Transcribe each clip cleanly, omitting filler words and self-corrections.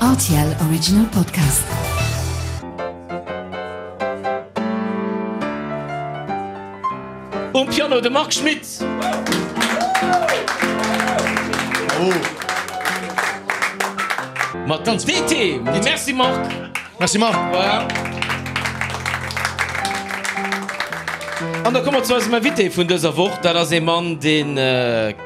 Rtl Original Podcast. Um Piano de Marc Schmitz. Mat den DT. Merci Marc. Merci Marc. Voilà. An da komme mer zu eisem Invité vun dëser Woch. Dat ass ee Mann, dee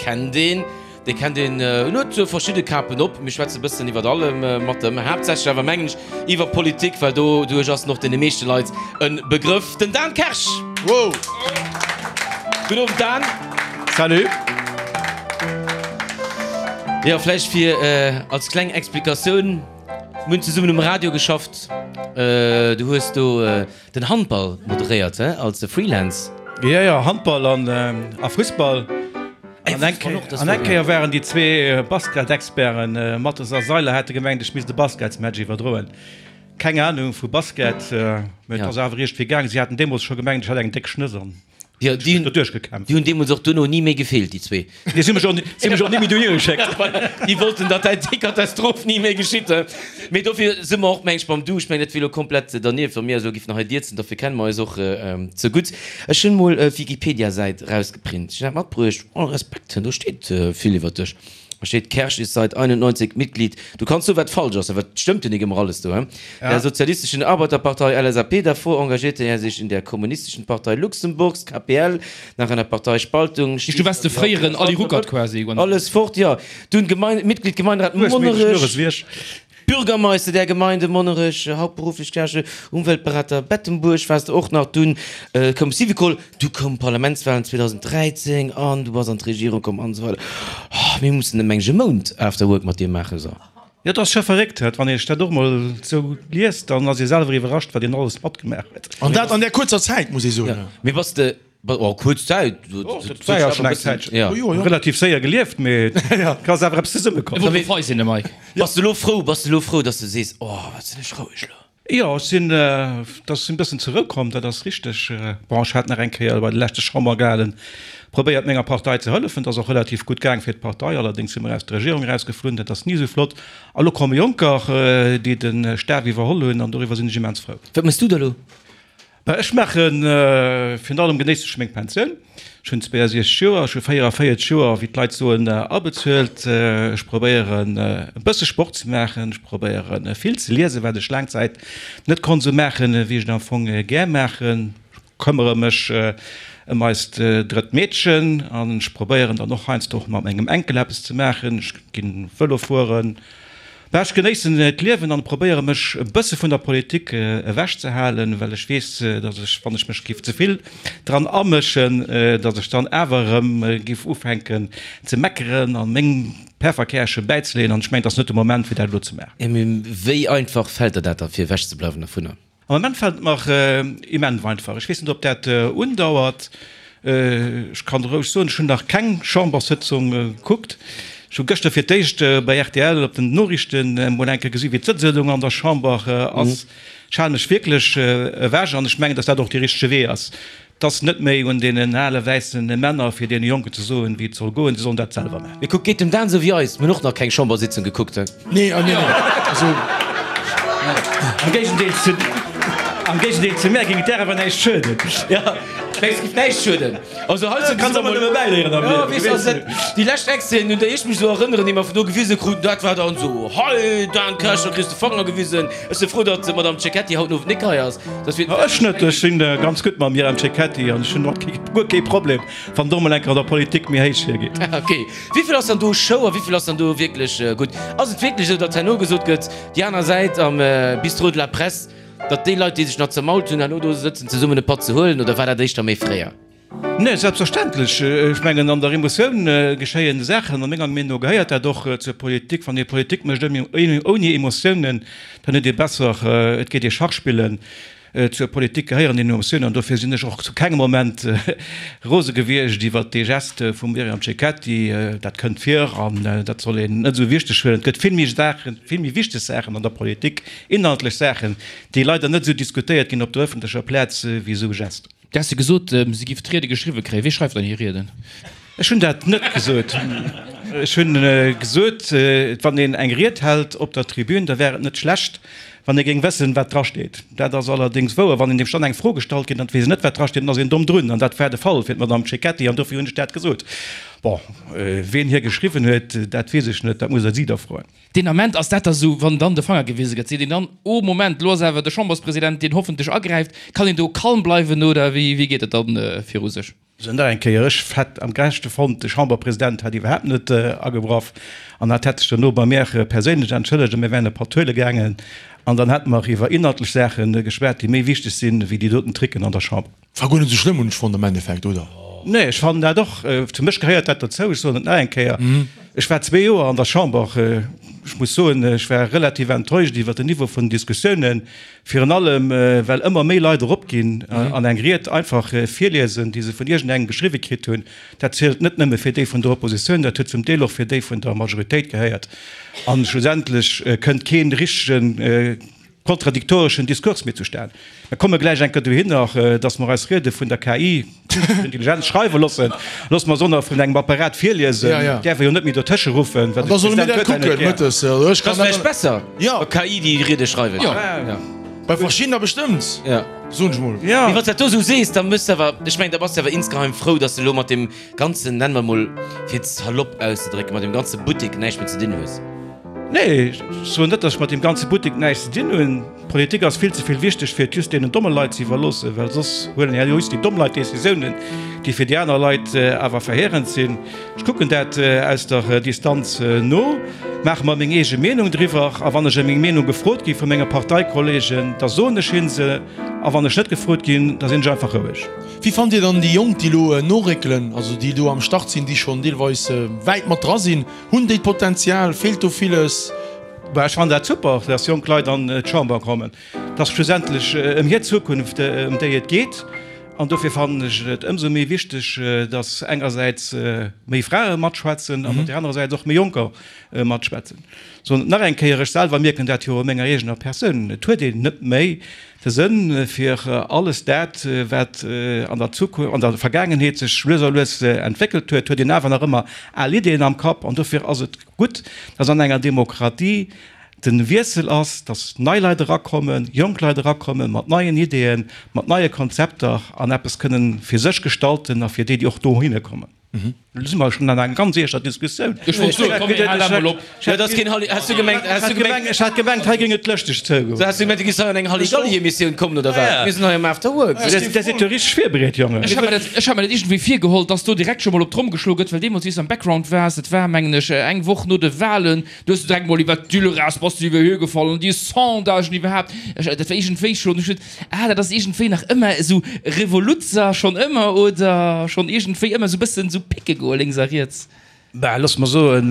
kennt een. Dee kennt een. En huet verschidde Kapen op. Mir schwätze bëssen iwwert allem mat em. Haaptsächlech awer mengen ech iwwer Politik, well doduerch ass en och deene meeschte Leit e Begrëff. Den Dan Kersch! Wow! Gudden Owend Dan! Salut! Jo, vläicht fir als kleng Explikatioun, Mir hunn zesummen um Radio geschafft. Du hues do den Handball moderéiert, he, als Freelance. Jo, jo, Handball an a Fussball. An eng Kéier, an eng Kéier waren déi zwee Basketexperten Mattes a Seiler hate gemengt, ech misst e Basketsmatch iwwerdroen. Keng Anung vu Basket, mä et ass awer iergendwéi gaang. Si haten deemools scho gemengt, ech hätt eng déck Schnëss an Jo, déi hunn doduerch gekämpft. Déi hunn deemools och duerno ni méi gefeelt, déi zwee. Déi si mech och, si mech och ni méi dohier geschéckt. Déi wollten, datt dat déi Katastroph ni méi geschitt. Mee dofir si mer och, meng ech, beim Du. Ech mengen, dat wier elo komplett dernieft, wa mir eis elo giffen hei dierzen. Dofir kenne mer eis och ze gutt. Ech hunn mol d'Wikipedia-Säit rausgeprint. Ech hunn dat matbruecht. All Respekt, do steet vill iwwer dech. Da steet, Kersch ist seit 91 Mitglied, du kanns soen, wat falsch ass, awer et stëmmt jo nik ëmmer alles do, he? Der Sozialistischen Arbeiterpartei, LSAP, davor engagierte er sich in der Kommunistischen Partei Luxemburgs, KPL, nach einer Parteispaltung Du wars de fréieren Ali Ruckert quasi. Alles fort, jo. Dunn Gemein, Mitglied Gemeinderat Monnerech. Bürgermeister der Gemeinde Monnerech, hauptberuflich Kerche, Umweltberater Bettemburg waars de och nach. Dunn koum Syvicol, du koum Parlamentswahlen 2013 an du bass an d'Regierung komm an esou weider. Oh, mir mussen ëm eng e Mount After Work mat dir maachen, so. Jo, et ass scho verréckt, wann ee sech dat och mol esou liest, dann ass ee selwer iwwerrascht, wat een alles matgemaach huet. An dat an där kuerzer Zäit, muss ee soen. Mee bass de Oh, kuerz Zäit. Dat war jo schonn eng Zäitchen. Jo, jo. Relativ séier gelieft, mee et ass awer eppes zesummekomm. E wollt fei sinn, de Mike. Bass de elo frou, bass de elo frou, dass de sees, oh, wat sinn ech roueg elo? Jo, ech sinn, dass ech sinn e bëssen zur Rou komm, dat ass richteg. Bon, ech hat nach eng Kéier bei de leschte Chamberwahlen probéiert, menger Partei ze hëllefen. Dat ass och relativ gutt gaang fir d'Partei, allerdéngs si mer aus der Regierung erausgeflunn, dat ass ni esou flott. A lo komme Jonker, déi de Staf iwwerholl hunn, an doriwwer sinn ech immens frou. Wat méchs du da lo? Bah, ech maachen, virun allem genéiss ech meng Pensioun. Ech hunn 62 Joer, ech hu 44 Joer, wéi d'Leit soen, abezuelt. Ech probéieren e bësse Sport ze maachen, ech probéieren vill ze liesen, wat ech laang Zäit net konnt esou maachen, wéi ech et am Fong gär maachen. Ech këmmere mech ëm eist drëtt Meedchen an ech probéieren dann och heiansdo och mat mengem Enkel eppes ze maachen. Ech ginn Vëlo fueren. Bah, ech genéissen d'Liewen an probéiere mech e bësse vun der Politik ewech ze halen, well ech weess, datt ech, wann ech mech giff ze vill dran amëschen, datt ech dann awer erëm giff ufänken ze meckeren an meng Pefferkärche bäizeleeën. An ech mengen, et ass net de Moment fir dat elo ze maachen. Mee wéi einfach fält der dat da fir ewech ze bleiwen dervunner? Am Moment fält et mer immens einfach. Ech weess net, ob dat undauert. Ech kann roueg soen, ech hunn nach keng Chamberssëtzung gekuckt. Ech hu gëschter fir d'éischt bei rtl op den Noriichten emol eng Kéier gesi wéi d'Sëtzung an der Chamber ass. Ech hale mech wierklech ewech an ech mengen, datt dat och dee richtege Wee ass. 't ass net méi un deenen ale wäisse Männer, fir deene Jonken ze soen, wéi et soll goen. Si sollen dat selwer maachen. Mee kuck, geet dem Dan esou wéi eis, mir hunn och nach keng Chambersitzung gekuckt. Nee, nee, nee, also. Am Géigendeel zu, am Géigendeel zu mär géing et där awer näischt schueden. Jo, mengs géif näischt schueden. Also hei sinn Kanns ëmmer nëmme bäiléieren am Jo, Liewen, weess weess de, de. déi lescht Extraiten, un déi ech mech esou erënneren, déi mer vun do gewise kruten, dat war dann esou, Hei Dan Kersch, da kriss de Fanger gewisen. Ech si frou, datt d'Madame Cecchetti haut den Owend nik hei ass. Dass wir Ech net, ech sinn ganz gutt mam Myriam Cecchetti an ech hunn och guer kee Problem, wann do mol eng Kéier an der Politik méi héich hiergeet. Ok. Wéivill ass dann do Show a wéivill ass dann do wierklech gutt? Ass et wierklech esou, datt herno gesot gëtt, déi aner Säit am Bistrot de la Presse, datt déi Leit, déi sech nach zermault hunn, herno do sëtzen zesummen e Patt ze huelen, oder war dat éischter méi fréier? Nee, selbstverständlech. Ech mengen, an der Emotioun geschéien Saachen. A menger Meenung no gehéiert dat och zur Politik. Wann ee Politik mécht ouni Emotiounen, dann huet ee besser, et geet ee Schach spillen. Zur Politik gehéieren Emotiounen an dofir sinn ech och zu kengem Moment rose gewiescht iwwert dee Geste vum Myriam Cecchetti. Dat kënnt vir an dat soll een net esou wichteg huelen. Et gëtt vill méi Saachen, vill méi wichteg Saachen an der Politik, inhaltlech Saachen, déi leider net esou diskutéiert ginn op der ëffentlecher Plaz wéi esou e Geste. Du has gesot, si giff d'Riede geschriwwe kréien. Wie schreift dann hir Rieden? Ech hunn dat net gesot. Ech hunn gesot, wann een eng Ried hält op der Tribün, da wär et net schlecht, wann ee géing wëssen, wat drasteet. Dat ass allerdéngs wouer. Wann een deem dann eng Fro gestallt kritt an et weess een net, wat drasteet, dann ass een domm drun. An dat war de Fall fir d'Madame Cecchetti an dofir hunn ech dat gesot. Bon, ween hir geschriwwen huet, dat weess ech net, dat musst Der si da froen. Deen Ament ass dat da sou, wann dann de Fanger gewise gëtt, seet een dann, Oh Moment, lo ass awer de Chamberspresident, deen hoffentlech agräift. Kann een do kalm bleiwen oder wéi geet et dann viru sech? Sou nach eng Kéier, ech hätt am gerechtste fonnt, de Chamberpresident hätt iwwerhaapt net agegraff an hat hätt sech duerno bei mär perséinlech entschëllegt a mir wären e paar Tuele gaangen an dann hätte mer iwwer inhaltlech Saache geschwat, déi méi wichteg sinn, wéi déi doten Tricken an der Chamber. War guer net esou schlëmm, hunn ech fonnt am Endeffekt, oder? Nee, ech fannen dat och. Fir mech gehéiert dat dozou. Ech soen et nach eng Kéier, ech war zwee Joer an der Chamber. Ech muss soen, ech war relativ enttäuscht iwwer den Niveau vun den Diskussiounen. Virun allem, well ëmmer méi Leit eropginn an eng Ried einfach virliesen, déi se vun iergendengem geschriwwe kritt hunn. Dat zielt net nëmme fir déi vun der Oppositioun, dat huet zum Deel och fir déi vun der Majoritéit gehéiert. A schlussendlech kënnt kee richtege kontradiktoreschen Diskurs méi zustan. Mir komme gläich eng Kéier dohinner, datt mer eis Riede vun der KI, Künstleche Intelligenz, schreiwe loossen. Loosse mer se och nach vun engem Apparat virliesen. Däerf e jo net méi dotësche ruffen, well de President huet dat net gär. Dat ass vläicht besser. Jo. KI déi Riede schreiwen. Jo. Bei verschiddener bestëmmt, soen ech mol. Mee wann s dat do esou sees, da mëss de awer, ech mengen, da bass de awer insgeheim frou, dass de elo mat deem ganzen, nennen mer mol, fir et salopp auszedrécken, mat deem ganze Buttek näischt méi ze dinn hues. Nee, ech soen net, dass ech mat deem ganze Buttek näischt ze dinn hunn. D'Politik ass vill ze vill wichteg, fir et just deenen domme Leit ze iwwerloossen, well soss huelen ja just déi domm Leit Decisiounen, déi fir déi aner Leit awer verheerend sinn. Ech kucken dat aus der Distanz no, maache mer meng eege Meenung driwwer a wann ech ëm meng Meenung gefrot gi vu menge Parteikollegen, da soen ech hin se a wann ech net gefrot ginn, da sinn ech einfach roueg. Wéi fannt Dir dann déi Jonk, déi elo noréckelen, also déi do am Start sinn, déi schonn deelweis wäit mat dra sinn? Hunn déi d'Potenzial? Feelt do villes? Bah, ech fannen dat super, dass jonk Leit an d'Chamber kommen. Et ass schlussendlech ëm hir Zukunft, ëm déi et geet. An dofir fannen ech et ëmsou méi wichteg, dass engersäits méi Frae matschwätzen an op där anerer Säit och méi Jonker matschwätzen. Soen et nach eng Kéier, ech selwer mierken dat jo u menger eegener Persoun, et huet een net méi de Sënn fir alles dat, wat an der Zukunft, an der Vergaangenheet sech lues a lues entwéckelt huet, huet een awer nach ëmmer al Ideeën am Kapp. An dofir ass et gutt, dass an enger Demokratie de Wiessel ass, dass nei Leit erakommen, jonk Leit erakommen mat neien Ideeën, mat neie Konzepter an eppes kënnen fir sech gestalten a fir déi, déi och dohinne kommen. Elo si mer schonn an enger ganz eeschter Diskussioun. Ech wollt soen, komm mir halen emol op. Jo, dat ass keen Halli. Has du gemengt, has du gemengt. Ech hat gemengt, hei géing et lëschteg zougoen. Has du gemengt, du giffs hei an eng Halligalli-Emissioun kommen oder wat? Mir sinn hei am After Work. Dir sidd jo richteg virbereet, Jongen. Ech hat mer dat, ech hat mer dat iergendwéi virgeholl, dass do direkt scho mol op d'Tromm geschloe gëtt, well deemools, wéi s du am Background waars, dat war, mengen ech, eng Woch no de Wahlen, Du hues direkt mol iwwert d'Düllerass bass du iwwer hir gefall an déi Sondagen iwwerhaapt. Ech, dat war iergendwéi schonn, ech huet, ah, dat ass iergendwéi nach ëmmer esou Revoluzzer schonn ëmmer oder schonn iergendwéi ëmmer esou bëssen esou pécke goe lénks a riets. Bah, looss mer soen,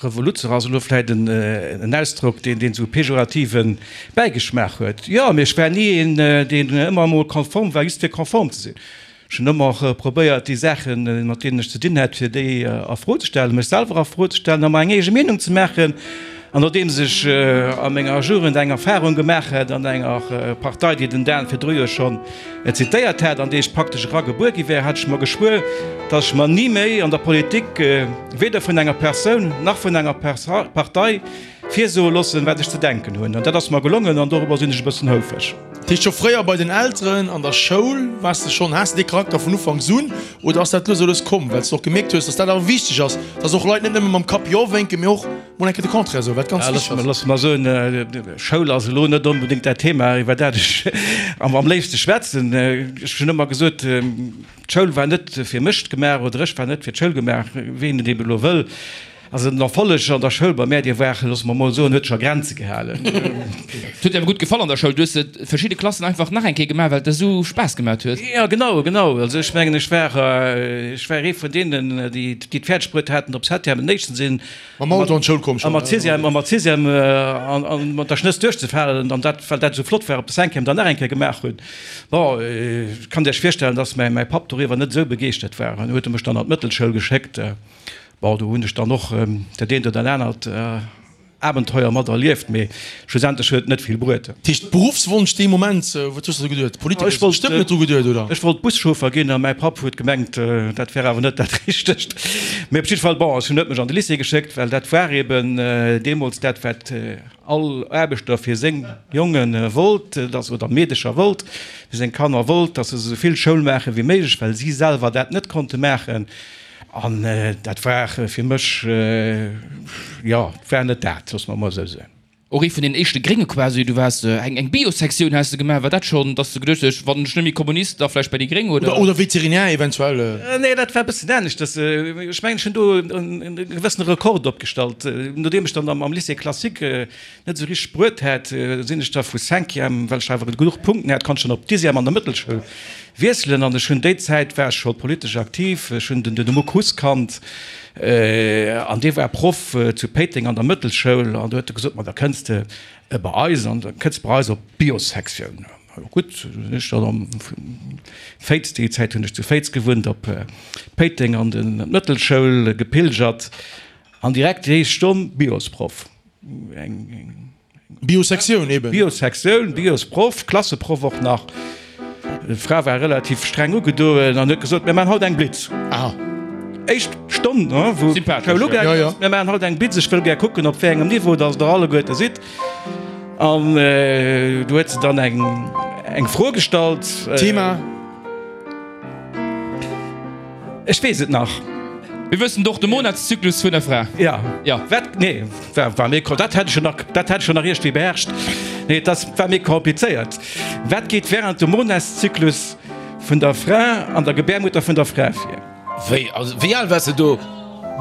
Revoluzzer ass elo vläit en Ausdrock, deen, deen esou e pejorative Bäigeschmaach huet. Jo, mee ech war ni een, deen ëmmer emol konform war, just fir konform ze sinn. Ech hunn ëmmer probéiert, déi Saachen, mat deenen ech ze dinn hat, fir déi a Fro ze stellen, mech selwer a Fro ze stellen a mer eng eege Meenung ze maachen. An nodeems ech a menger Jugend eng Erfarung gemaach hat an enger Partei, déi den Dan virdru jo schonn zitéiert hat, an déi ech praktesch eragebuer gi wär, hat ech mer geschwuer, datt ech mer ni méi an der Politik, weder vun enger Persoun nach vun enger Partei, virsoe loossen, wat ech ze denken hunn. An dat ass mer gelongen an dorobber sinn ech e bëssen houfreg. Dat heescht scho fréier bei den Elteren, an der Schoul waars de schonn, has de dee Charakter vun Ufanks un oder ass dat lues a lues komm, well s de och gemierkt hues, dass dat awer wichteg ass, dass och Leit net nëmme mam Kapp Jo wénken, mee och mol eng Kéier de Contraire soen, wat ganz wichteg ass? Looss mer soen, Schoul ass elo net onbedéngt dat Thema, iwwer dat ech am léifste schwätzen. Ech hunn ëmmer gesot, d'Schoul war net fir mech gemaach oder ech war net fir d'Schoul gemaach, ween et ebe elo wëll. Also den Erfolleg an der Schoul bei mär, dee war, loosse mer mol soen, huet sech a Grenze gehalen. Et huet dir awer gutt gefall an der Schoul? Du hues verschidde Klassen einfach nach eng Kéier gemaach, well et der esou Spaass gemaat huet? Jo, genau, genau. Also ech mengen, ech war, ech war ee vun deenen, déi et fäerdeg bruet haten, op Septième den éischten ze sinn. Mam Auto an d'Schoul komm schonn. A mat Sixième, a mat Sixième an mat der Schnëss duerchzefalen an dat, well dat esou flott war, op der Cinquième dann nach eng Kéier gemaach hunn. Bon, ech kann Iech virstellen, dass mäi Papp doriwwer net esou begeeschtert war. An huet e mech dann an d'Mëttelschoul geschéckt. Bon, do hunn ech dann och dat eent oder anert. Abenteuer mat erlieft, mee schlussendlech huet et net vill bruet. Dat heescht Beruffswonsch dee Moment, wat hues de do geduet? Politiker hues de bestëmmt net dru geduet, oder? Ech wollt Buschauffer ginn a mäi Papp huet gemengt, dat wär awer net dat Richtegt. Mee op jidde Fall, bon, ech hunn huet mech an de Lycée geschéckt, well dat war eben deemools dat, wat all Aarbechter fir seng Jonge wollt, dass, oder Meedecher wollt, fir seng Kanner wollt, dass se esou vill Schoul maache wéi méiglech, well si selwer dat net konnte maachen. An dat war fir mech, jo, war net dat, loosse mer emol esou soen. Och ee vun den éischte Grénge quasi. Du waars eng eng Bio-Sektioun has de gemaach. War dat schonn, dass de geduecht hues, wann ech net méi Kommunist, da vläicht bei déi Gréng, oder? Oder Veterinär eventuell. Nee, dat war e bëssen aneschters. Ech mengen, ech hunn do e gewëssene Rekord opgestallt. Nodeem ech dann am Lycée classique net esou richteg bruet hat, sinn ech da vu Cinquième, well ech awer genuch Punkten hat, konnt ech dann op Dixième an der Mëttelschoul wiesselen. An ech hunn déi Zäit war ech scho politesch aktiv. Ech hunn den Dudu Muck Huss kannt an dee war Proff zu Péiteng an der Mëttelschoul an do huet e gesot, ma da kënns de bei eis an da kënns bei eis op d'Biossektioun. Jo gutt, sinn ech dann am Féiz, déi Zäit hunn ech zu Féiz gewunnt, op Péiteng an d'Mëttelschoul gepilgert an direkt déi éischt Stonn Biosproff. Eng Biosektioun eben. Biosektioun, Biosproff, Klasseproff och nach. D'Fra war relativ streng ugedoen an huet gesot, Mir maachen haut eng Blitz. Aha. Éischt Stonn, wou d'Schoul ugaangen ass, Mir maachen haut eng Blitz, ech wëll gär kucken, op wéi engem Niveau dass der alleguerte sidd. An du huet se dann eng Fro gestallt. Thema? Ech weess et nach. Mir wëssen och de Monatszyklus vun der Fra. Ja. Ja. Wat? Nee, war, war méi, dat hätt ech schon nach, dat hätt ech schon nach iergendwéi beherrscht. Nee, dat war méi komplizéiert. Wat geet während dem Monatszyklus vun der Fra an der Gebärmutter vun der Fra vir? Wéi, also wéi al waars de do?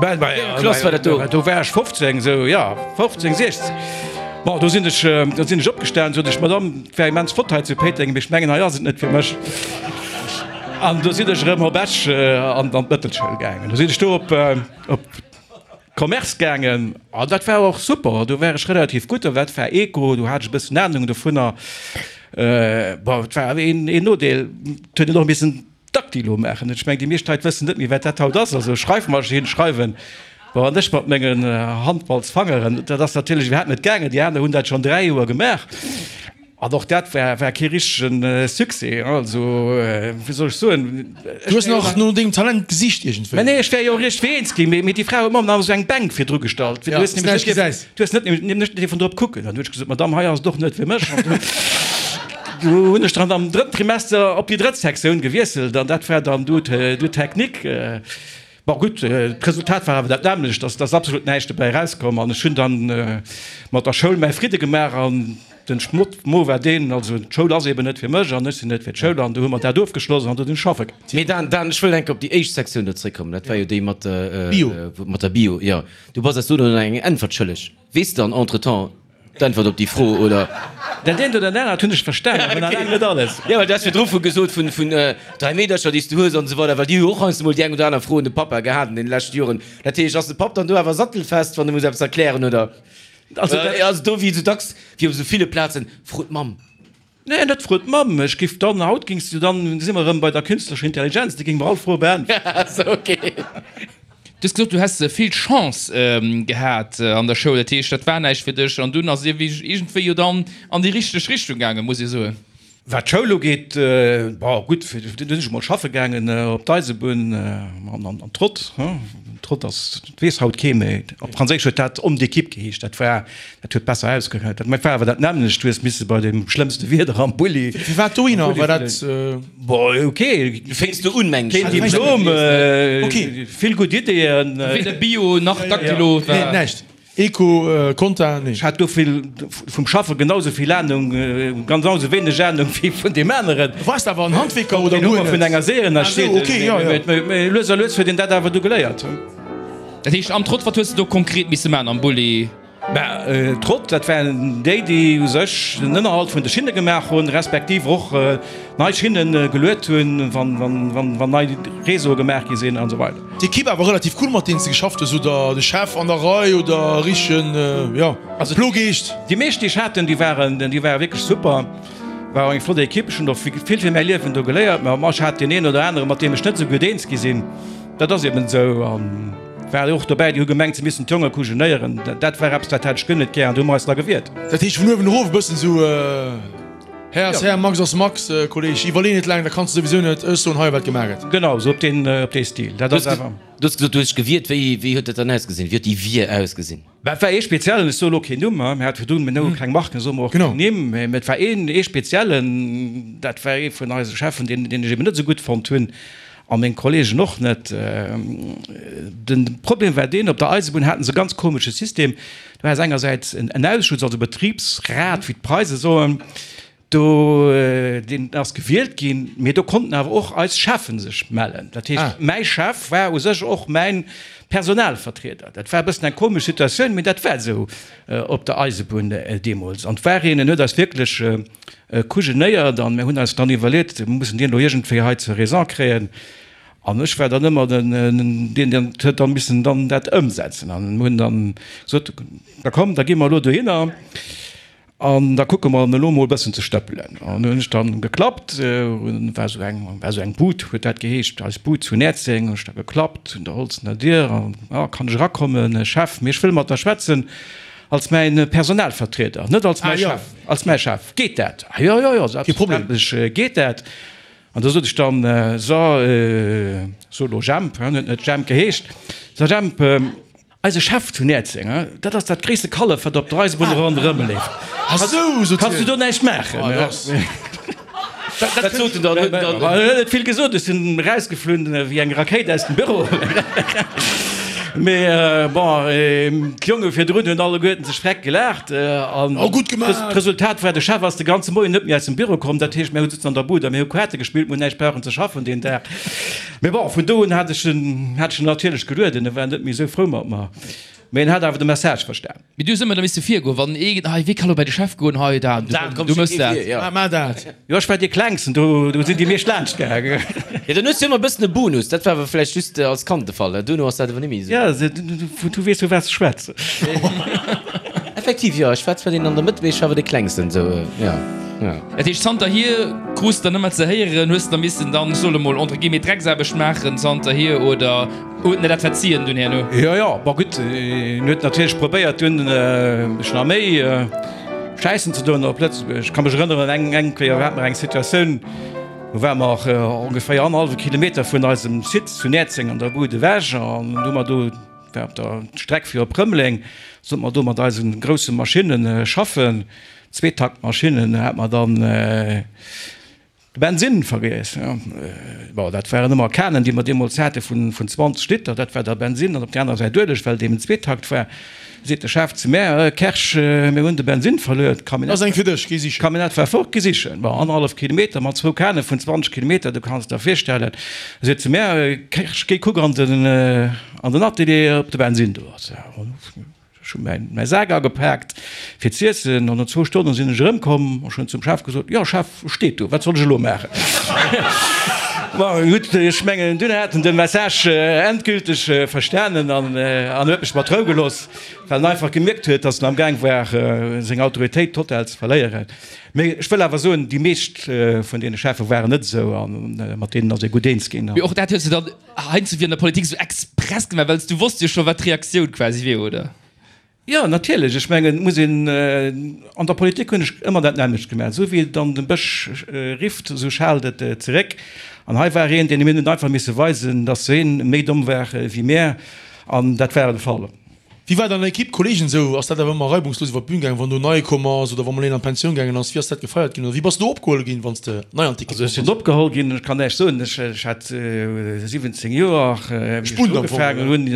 Wéi eng Klass war dat do? Do war ech 15, sou, ja, 15, 16. Bon, do sinn ech, do sinn ech opgestanen, sot ech, Madame, et wär immens flott hei zu Péiteng, mee ech mengen, hei ass et net fir mech. An do sinn ech erëm op Esch an d'Mëttelschoul gaangen. Do sinn ech do op, op Commerce gaangen an dat war och super. Do war ech relativ gutt, dat war Eco, do hat ech e bëssen Anung dovunner. Bon, et war awer een, een Nodeel, et huet een och missen Dactylo maachen. Ech mengen, déi meescht Leit wëssen net méi, wat dat haut ass. Also Schreifmaschinn, schreiwen, bon, an ech mat mengen Handballsfangeren, dat ass natierlech iwwerhaapt net gaangen. Déi aner hunn dat schonn 3 Joer gemaach an och dat war, war kee richtege Succès. Also, wéi soll ech soen, Du hues nach no dengem Talent gesicht iergendwéi? Mä nee, ech wär jo och iergendwéi eens ginn, mee déi Fra huet mer nach esou eng Bänk virdru gestallt, fir du hues nämlech net dierfen, du hues net nämlech net dierfen drop kucken. Dann hunn ech gesot, Madamm, hei ass et och net fir mech. Du hunn ech dann am drëtten Trimester op déi drëtt Sektioun gewiesselt an dat war dann du du Technique. Bon gutt, d'Resultat war awer dat nämmlecht, dass dass absolut näischt dobäi erauskomm an ech hunn dann mat der Schoul mäi Fridde gemaach an den Schmott Mo war deen, also d'Schoul ass eben net fir mech an ech sinn net fir d'Schoul an du hu mer dat ofgeschloss an du sinn ech schaffe gaangen. Mee Dan, Dan, ech wëll eng Kéier op déi éischt Sektioun do zréckkommen, dat war jo déi mat der Bio. Mat der Bio, jo. Du bass eis do dann eng Äntwert schëlleg. Weess de dann entretemps d'Äntwert op déi Fro, oder? Dat eent oder dat anert hunn ech verstanen, awer nach laang net alles. Jo, well du has virdru vu gesot vun 3 Meedercher, déi s du hues an esou weider, well déi hu jo och heiansdo mol déi eng oder aner Fro un de Pappa gehat an deene leschte Joren. Dat heescht, ass de Papp dann do awer sattelfest, wann e muss eppes erklären, oder? Also dat. Do wéi esou dacks, wéi op esou ville Plazen, Fro d'Mamm. Nee, net fro d'Mamm. Ech giff dann, haut gings du dann, si mer erëm bei der künstlecher Intelligenz, déi géing mer all Froe beäntweren. Sou, ok. Du hues gesot, du häss vill Chance gehat an der Schoul, dat heescht, dat war näischt fir dech an dunn ass et iergendwéi jo dann an déi richteg Richtung gaangen, muss ee soen. Wat d'Schoul ugeet, bon gutt, du sinn ech emol schaffe gaangen op d'Eisebunn an an Trott. Trott ass, dat weess haut kee méi. Op Franséisch huet dat Homme d'équipe geheescht. Dat war, dat huet besser ausgehört. Dat war awer dat nämmlecht. Du hues misse bei dem schlëmmste Wieder am Bulli. Firwat dohinner? War dat. Bon, ok. Du fénks do un, mengen ech. Keen Diplom, vill gutt Ideeën. Weder Bio nach Dactylo war. Nee, näischt. Eco, Conta, nee. Ech hat do vill vum Schaffe genau sou vill Ahnung, genau sou wéineg Ahnung wéi vun deem aneren. Du waars awer en Handwierker oder guer net? Vun enger Seeën Ah sou, ok, jo, jo. Mee lues a lues huet een dat awer du geléiert. Dat heescht am Trott, wat hues de do konkret misse maachen am Bulli? Mä Trott, dat waren déi, déi u sech den Ënnerhalt vun de Schinne gemaach hunn, respektiv och nei Schinne geluet hunn, wann nei Réseaue gemaach gi sinn an esou weider. D'Equipe awer relativ cool mat deenen s de geschafft hues, oder de Chef an der Rei oder richtegen, jo, Plogeescht? Déi meescht déi ech haten, déi waren, déi ware wierklech super, war och eng flott Equipe. Ech hunn och vill fir mäi Liewen do geléiert, mä ech hat deen een oder anere mat deem ech net esou gutt eens gi sinn, dat ass eben esou an. War och dobäi, déi hu gemengt, se missten d'Jonge kujenéieren. Dat war eppes, dat hat ech guer net gär an do hu mer eis da gewiert. Dat heescht vun uewen erof e bëssen esou, Här ass Här, Max ass Max, Kolleg, iwwerlee net laang, dat kanns de souwisou net, ech soen hei, wat gemaach gëtt. Genau, esou op deen, op dee Stil. Dat ass awer. Du hues gesot, du hues dech gewiert. Wéi, wéi huet dat dann ausgesinn? Wéi huet déi Wier ausgesinn? Bah, et war ee speziellen, ech soe lo keen Numm, mir hate virdrun, mir nennen keng Marken, soe mer och keng Nimm, mä et war een, ee speziellen, dat war ee vun eise Cheffen, deen, deen ech eben net esou gutt fonnt hunn a meng Kollegen och net. De Problem war deen, op der Eisebunn haten se e ganz komesche System, du has engersäits en Ausschuss, also e Betribsrat, wéi d'Preise soen, Do, deen ass gewielt ginn, mee do konnten awer och eis Cheffen sech mellen. Dat heescht, mäi Chef war u sech och mäin Personalvertrieder. Dat war e bëssen eng komesch Situatioun, mee dat war esou op der Eisebunn deemools. An et war een, en huet eis wierklech kujenéiert an mir hunn eis dann iwwerleet, mir mussen deen elo iergendwéi hei zur Raison kréien. An ech war dann ëmmer den, deen deen huet dann missen dann dat ëmsetzen. An mir hunn dann gesot, da komm, da gi mer elo dohinner. An da kucke mer en elo mol e bëssen ze stëppelen. An hunn ech dann geklappt, war esou eng, war esou eng Bud, huet dat geheescht, eis Bud zu Näerzeng, hunn ech da geklappt un der holzener Dier an, ah, kann ech erakommen, Chef, mee ech wëll mat der schwätzen als mäin Personalvertrieder, net als mäi Chef, als mäi Chef. Geet dat? Ah jo, jo, jo, selbstverständlech geet dat. An da sot ech dann, so, so elo Jemp, huet net Jemp geheescht, so Jemp, Eise Chef zu Näerzeng, dat ass dat gréisste Kallef, wat op der Eisebunn ronderëm leeft. Kanns du do näischt maachen? Wat sot en dann? Huet en dann. En huet net vill gesot. Ech sinn erausgeflunn wéi eng Rakéit aus dem Büro. Mee bon, d'Jonge virdrun hunn alleguerten sech freck gelaacht. An d'Resultat war, de Chef ass de ganze Moien net méi aus dem Büro komm. Dat heescht, mir hu souzen an der Bud a mir hu Kaarte gespillt, mir hunn näischt brauchen ze schaffen deen Dag. Mee bon, vun do un hat ech en, hat ech en natierlech gelueden, e war net méi esou frou mat mer, mee en hat awer de Message verstan. Mee du hues ëmmer da misse virgoen, wann ee, hei, wee ka lo bäi de Chef goen, hei, dat, du mëss dat. Maach dat. Jo, ech war dee Klengsten, do, do sinn déi meescht laanscht gaangen. Jo, dann hues du ëmmer e bëssen e Bonus, dat war awer vläicht just als Kand de Fall, duerno ass dat awer net méi esou. Jo, du weess vu wat s schwätz. Effektiv, jo, ech war zwar deen an der Mëtt, mee ech war awer dee Klengsten, esou, jo, jo. Dat heescht, zanterhier krus de dann ëmmer ze héieren, hues de da missen dann, ech soe mol, entre guillemets, Drecksaarbecht maachen zanterhier oder huet en der dat verzien dunn herno? Jo, jo, bon gutt, en huet natierlech probéiert dunn mech nach méi schäissen ze doen op Lëtzebuerg. Ech ka mech erënneren, eng eng Kéier hate mer eng Situatioun, do ware mer ongeféier annerhallwe Kilometer vun eisem Site zu Näerzeng an der Bud ewech an hu mer do, war op der Streck fir op Rëmeleng, sollte mer do mat eise grousse Maschinne schaffen. Zweetaktmaschinnen hat mer dann de Bensinn vergiess. Bon, dat waren ëmmer Kanen, déi mer deemools hate vun 20 Liter, dat war da Bensinn an op der aner Säit Ueleg, well et eben Zweetakt war. Seet de Chef zu mär, Kersch, mir hunn de Bensinn verluer, d'Camionnette war fort, geh sichen. Bon, annerhallef Kilometer mat zwou Kane vun 20 Kilometer, du kanns der virstellen. Seet zu mär, Kersch, géi kuck an den Atelier, ob de Bensinn do ass. Ech hu mäi Sak agepaakt fir z'iessen an no zwou Stonne sinn ech erëmkomm. Ech hunn zum Chef gesot, Jo Chef, steet do, wat soll ech elo maachen? Bon, gutt, ech mengen, dunn hat en de Message endgülteg verstanen an huet mech mat Rou gelooss, well en einfach gemierkt huet, datt en am Gaang war, seng Autoritéit total ze verléieren. Mee ech wëll awer soen, déi meescht vun deene Cheffe waren net esou a mat deenen ass ee gutt eens ginn. Mee och dat hues de dann Heiansdo wier an der Politik esou express gemaach, well s du wosst jo scho wat d'Reaktioun quasi wier, oder? Jo, natierlech. Ech mengen, et muss een, an der Politik hunn ech ëmmer dat nämmlecht gemaach, esou wéi et an dem Bësch rifft, esou schaalt et zeréck. An hei war een, deen mir hunn einfach misse weisen, datt hien méi domm war wéi mär, an dat war de Fall. Wéi war et an der Equipe, Kollegen esou? Ass dat awer ëmmer reibungslos iwwer d'Bün gaangen, wann do nei komm ass oder wa mol een an d'Pensioun gaangen ass? Wéi ass dat gefeiert ginn oder wéi bass du opgeholl ginn, wann s de nei an d'Equipe Also ech sinn opgeholl ginn, ech kann näischt soen, ech ech hat 17 Joer, wéi ech ugefaangen hunn,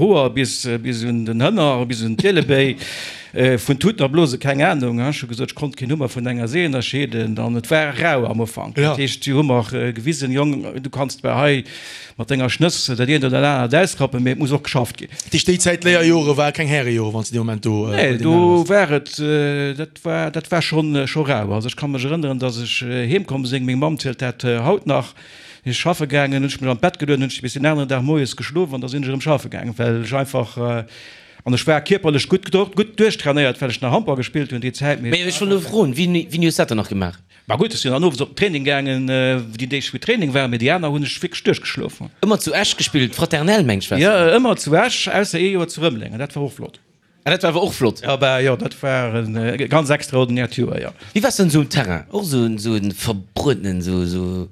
Hoer bis bis un den Hënner, bis un d'Ielebéi, vun Tuten a Blose keng Anung. Ech hu gesot, ech konnt keen Hummer vun enger See ënnerscheeden an et war rau am Ufank. Dat heescht, si hu mer gewisen, Jong, du kanns zwar hei Mat denger Schnëss dat eent oder anert ausrappen, mee et muss och geschafft ginn. Dat heescht, déi Zäit, Léierjore ware keng Härejore, wann s de dee Moment do bei Nee, deenen do anere war et, dat war, dat war schonn, scho rau. Also ech ka mech erënneren, datt ech heem komm sinn, meng Mamm zielt dat haut nach, sinn ech schaffe gaangen, hunn ech mech an d'Bett gelueden, hunn ech bis den aneren Dag moies geschlof an da sinn ech erëm schaffe gaangen, well ech einfach, an ech war kierperlech gutt, gutt duerchtrainéiert, well ech nach Handball gespillt hunn déi Zäit, mee. Mee ech wollt elo froen, wéini, wéini hues dat dann nach gemaach? Mä gutt, ech sinn dann owes op den Training gaangen, déi Deeg wou Training war, mee déi aner hunn ech wierklech duerchgeschlof. Ëmmer zu Esch gespillt, Fraternel meng ech war Jo, ëmmer zu Esch, ausser ee Joer zu Rëmeleng, an dat war och flott. Ah, dat war awer och flott. Ja, bah jo, dat war e ganz extraordinäert Joer, jo. Wéi waars du dann esou um Terrain? Och esou en, esou en verbruetenen, esou, esou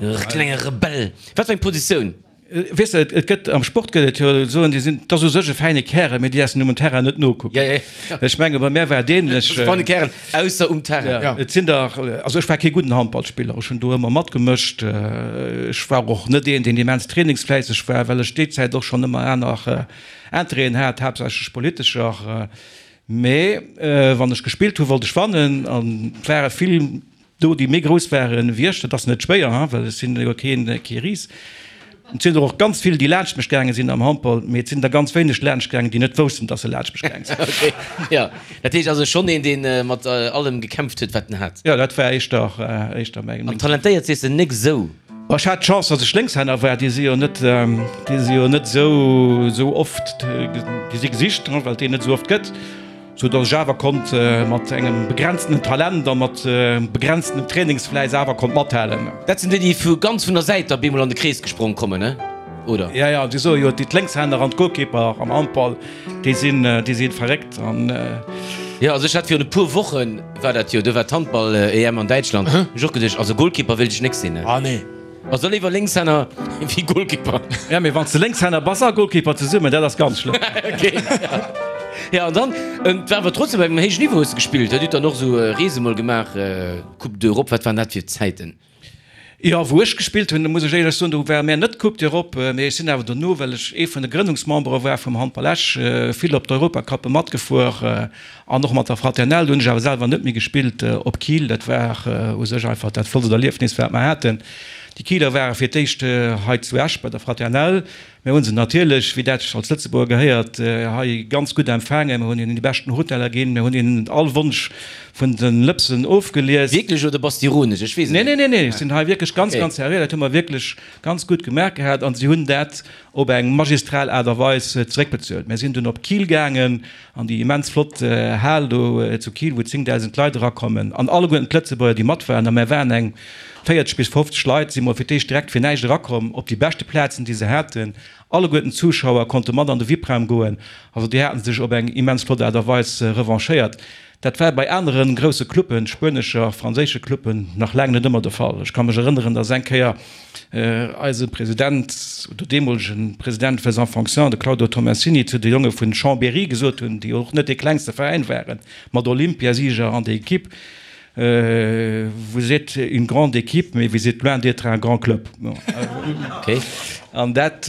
e klenge Rebell? Wat fir eng Positioun? Weess de, et gëtt, am Sport gëtt et jo soen, déi sinn, 't ass u sech e fäine Kärel, mee déi laassen um Terrain net nokucken. Ja, ja. Ech menge bei mär war et ähnlech. E feine Kärel, ausser um Terrain. Ja, et sinn der, also ech war kee gudden Handballspiller, ech hunn do ëmmer matgemëscht. Ech war och net een, deen immens trainingsfläisseg war, well ech déi Zäit och schonn ëmmer aner Interêten hat, haaptsächlech politescher. Mee wann ech gespillt hu wollt ech wannen an et ware vill Do déi méi grouss waren wéi ech, dat ass net schwéier, hein, well ech sinn jo keen, kee Ris. Et sinn der och ganz vill, déi laanscht mech gaange sinn am Handball, mee et sinn der ganz wéineg laanscht gaangen, déi net woussten, dass se laanscht mech gaange sinn. Okay, jo. Dat heescht also schonn een, dee mat allem gekämpft huet, wat en hat. Jo, dat war éischter, éischter meng. An talentéiert sees de nek esou? Bon, ech hat d'Chance, dass ech Lénkshänner war. Déi si jo net, déi si jo net esou, esou oft, déi si gesicht, hein, well et déi net esou oft gëtt. Sou dass ech awer konnt mat engem begrenztenen Talent a mat begrenztenem Trainingsfläiss awer konnt mathalen. Dat sinn déi, déi vu ganz vun der Säit da bemol an de Krees gesprong kommen, ne? Oder? Ja, ja, déi soe jo, déi d'Lénkshänner an d'Goalkeeper am Handball, déi sinn, déi sinn verréckt an. Jo, also ech hat virun e puer Woche war dat jo, do war d'Handball-EM an Däitschland, hunn ech och geduecht, also Goalkeeper wéilt ech nek sinn, ne? Ah nee. Also léiwer Lénkshänner wéi Goalkeeper. Ja, mee wann s de Lénkshänner bass a Goalkeeper zesummen, dat ass ganz schlëmm. Okay. Ja, an dann, et war awer trotzdem op engem héijen Niveau hues de gespillt, hutt dann och esou Reese mol gemaach, Coupe d'Europe, wat waren dat fir Zäiten? Jo, wou ech gespillt hunn, muss ech éierlech soen, do ware mär net d'Coupe d'Europe, mee ech sinn awer dono, well ech ee vun de Grënnungsmembere war vum Handball Esch, vill op d'Europacuppe matgefuer. An och mat der Fraternelle, do hunn ech awer selwer net méi gespillt, op Kiel. Dat war u sech einfach dat flottst Erliefnis, wat mer haten. Déi Kieler ware fir d'éischt hei zu Esch bei der Fraternelle. Mir hu se natierlech, wéi dat sech als Lëtzebuerger gehéiert, hei ganz gutt empfaangen. Mir hunn hinnen déi beschten Hoteller ginn. Mir hunn hinnen all Wonsch vun de Lëpsen ofgelies. Wierklech oder bass de ironesch? Ech weess et net. Nee, nee, nee, ech sinn hei wierklech ganz, ganz seriö. Dat hu mer wierklech ganz gutt gemaach gehat an si hunn dat op eng magistral Aart a Weis zeréckbezuelt. Mir sinn dunn op Kiel gaangen An déi immens flott Hal do zu Kiel, wou 10.000 Leit erakommen, an alleguerten d'Lëtzebuerger, déi mat waren, a mär waren eng 40 bis 50 Leit, si mol fir d'éischt direkt fir näischt erakomm op déi beschte Plazen, déi se haten. Alleguerten d'Zuschauer konnte mat an de VIP-Raum goen. Also déi haten sech op eng immens flott Aart a Weis revanchéiert. Dat war bei anere grousse Cluppen, spuenescher, franséische Cluppen, nach laang net ëmmer de Fall. Ech ka mech erënneren, datt eng Kéier eise President, oder deemolege President faisant fonction, de Claudio Tomassini, zu de Jonge vun Chambéry gesot hunn, déi och net dee klengste Veräin waren, mat Olympiasieger an der Equipe, Vous êtes une grande équipe, mais vous êtes loin d'être un grand club. An dat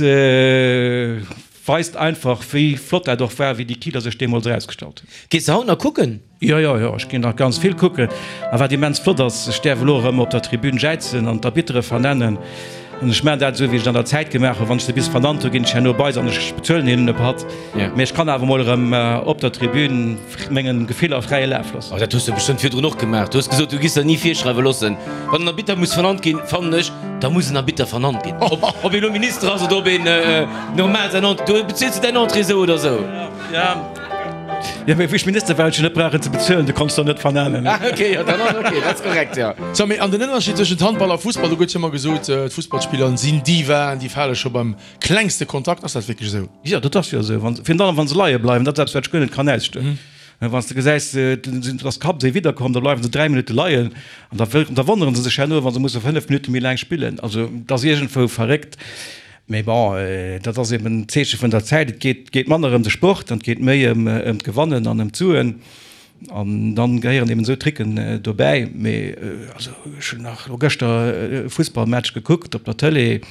Weist einfach wéi flott dat och war, wéi déi Kieler sech deemools erausgestallt hunn. Gees de haut nach kucken? Jo, jo, jo, ech ginn nach ganz vill kucken. A wat immens flott ass, ech däerf elo erëm op der Tribün jäizen an d'Arbittere vernennen. An ech maachen dat esou, wéi ech et an der Zäit gemaach hunn, Wann ech se bis vernannt hunn, ginn ech herno bei se an ech bezuelen hinnen e Patt. Mee ech kann awer mol erëm op der Tribün mengen Gefiller fräie Laf loossen. Oh, dat hues de bestëmmt virdrun och gemaach. Du hues gesot, du giss der ni virschreiwe loossen. Wann en Arbitter muss vernannt ginn, fannen ech, da muss en Arbitter vernannt ginn. Ob, ob een elo Minister ass oder ob een normal säin Entrée, du beziels du däin Entrée esou oder esou. Ja, ja, mee wéi ech Minister war, hunn ech jo net brauchen ze bezuelen, du konns der net vernennen. Ah, okay, jo, dann ass okay, dat ass korrekt, jo. So, mee an den Ënnerscheed tëschent Handball a Fussball, do gëtt jo ëmmer gesot, d'Fussballspiller sinn Divaen, déi fale scho beim klengste Kontakt. Ass dat wierklech esou? Jo, dat ass jo esou. Wann, virun allem wa se leie bleiwen, dat ass eppes, wat ech guer net kann ausstoen. Wann s de gesäis, dass d'Kapp esou widderkomm, da bleiwe se 3 Minutte leien an da da wonnere se sech herno, wa se musse 5 Minutte méi laang spillen. Also et ass iergendwou verréckt. Mee bon, dat ass eben d'Zeeche vun der Zäit. Et geet geet manner ëm de Sport an et geet méi ëm ëm d'Gewannen an ëm d'Suen. An dann gehéieren eben esou Tricken dobäi. Mee also ech hunn nach elo gëschter e Fussballmatch gekuckt op der Tëlee.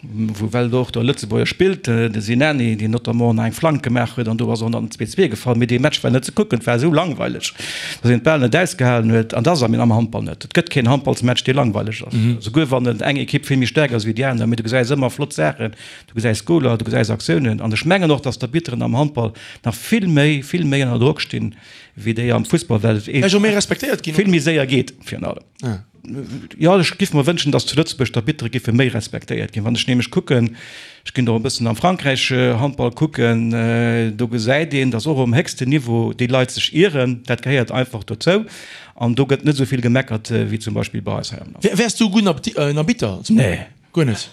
Wou well och de Lëtzebuerger spillt, de Sinani, deen notamment nach eng Flank gemaach huet an do ass och nach den 2, 2 gefall. Mee dee Match war net ze kucken, et war esou langweileg, datt een et bal net ausgehalen huet. An dat ass am Handball net. Et gëtt keen Handballsmatch, dee langweileg ass, esouguer wann et eng Ekipp vill méi staark ass wéi déi aner. Mee du gesäis ëmmer flott Saachen, du gesäis Goler, du gesäis Aktiounen. An ech mengen och, datt d'Arbitteren am Handball nach vill méi, vill méi ënner Drock stinn, wéi déi am Fussball, well et vill méi séier geet virun allem. jo, ech giff mer wënschen, datt zu Lëtzebuerg d'Arbittere giffe méi respektéiert ginn. Wann ech nämlech kucken, ech ginn och e bëssen am Frankräich Handball kucken, do gesäit een, datt och um héchsten Niveau déi Leit sech ieren. Dat gehéiert einfach dozou an do gëtt net esou vill gemeckert wéi zum Beispill bei eis hei am Land. Wäers du e gudden Arbitter? Nee. Guer net?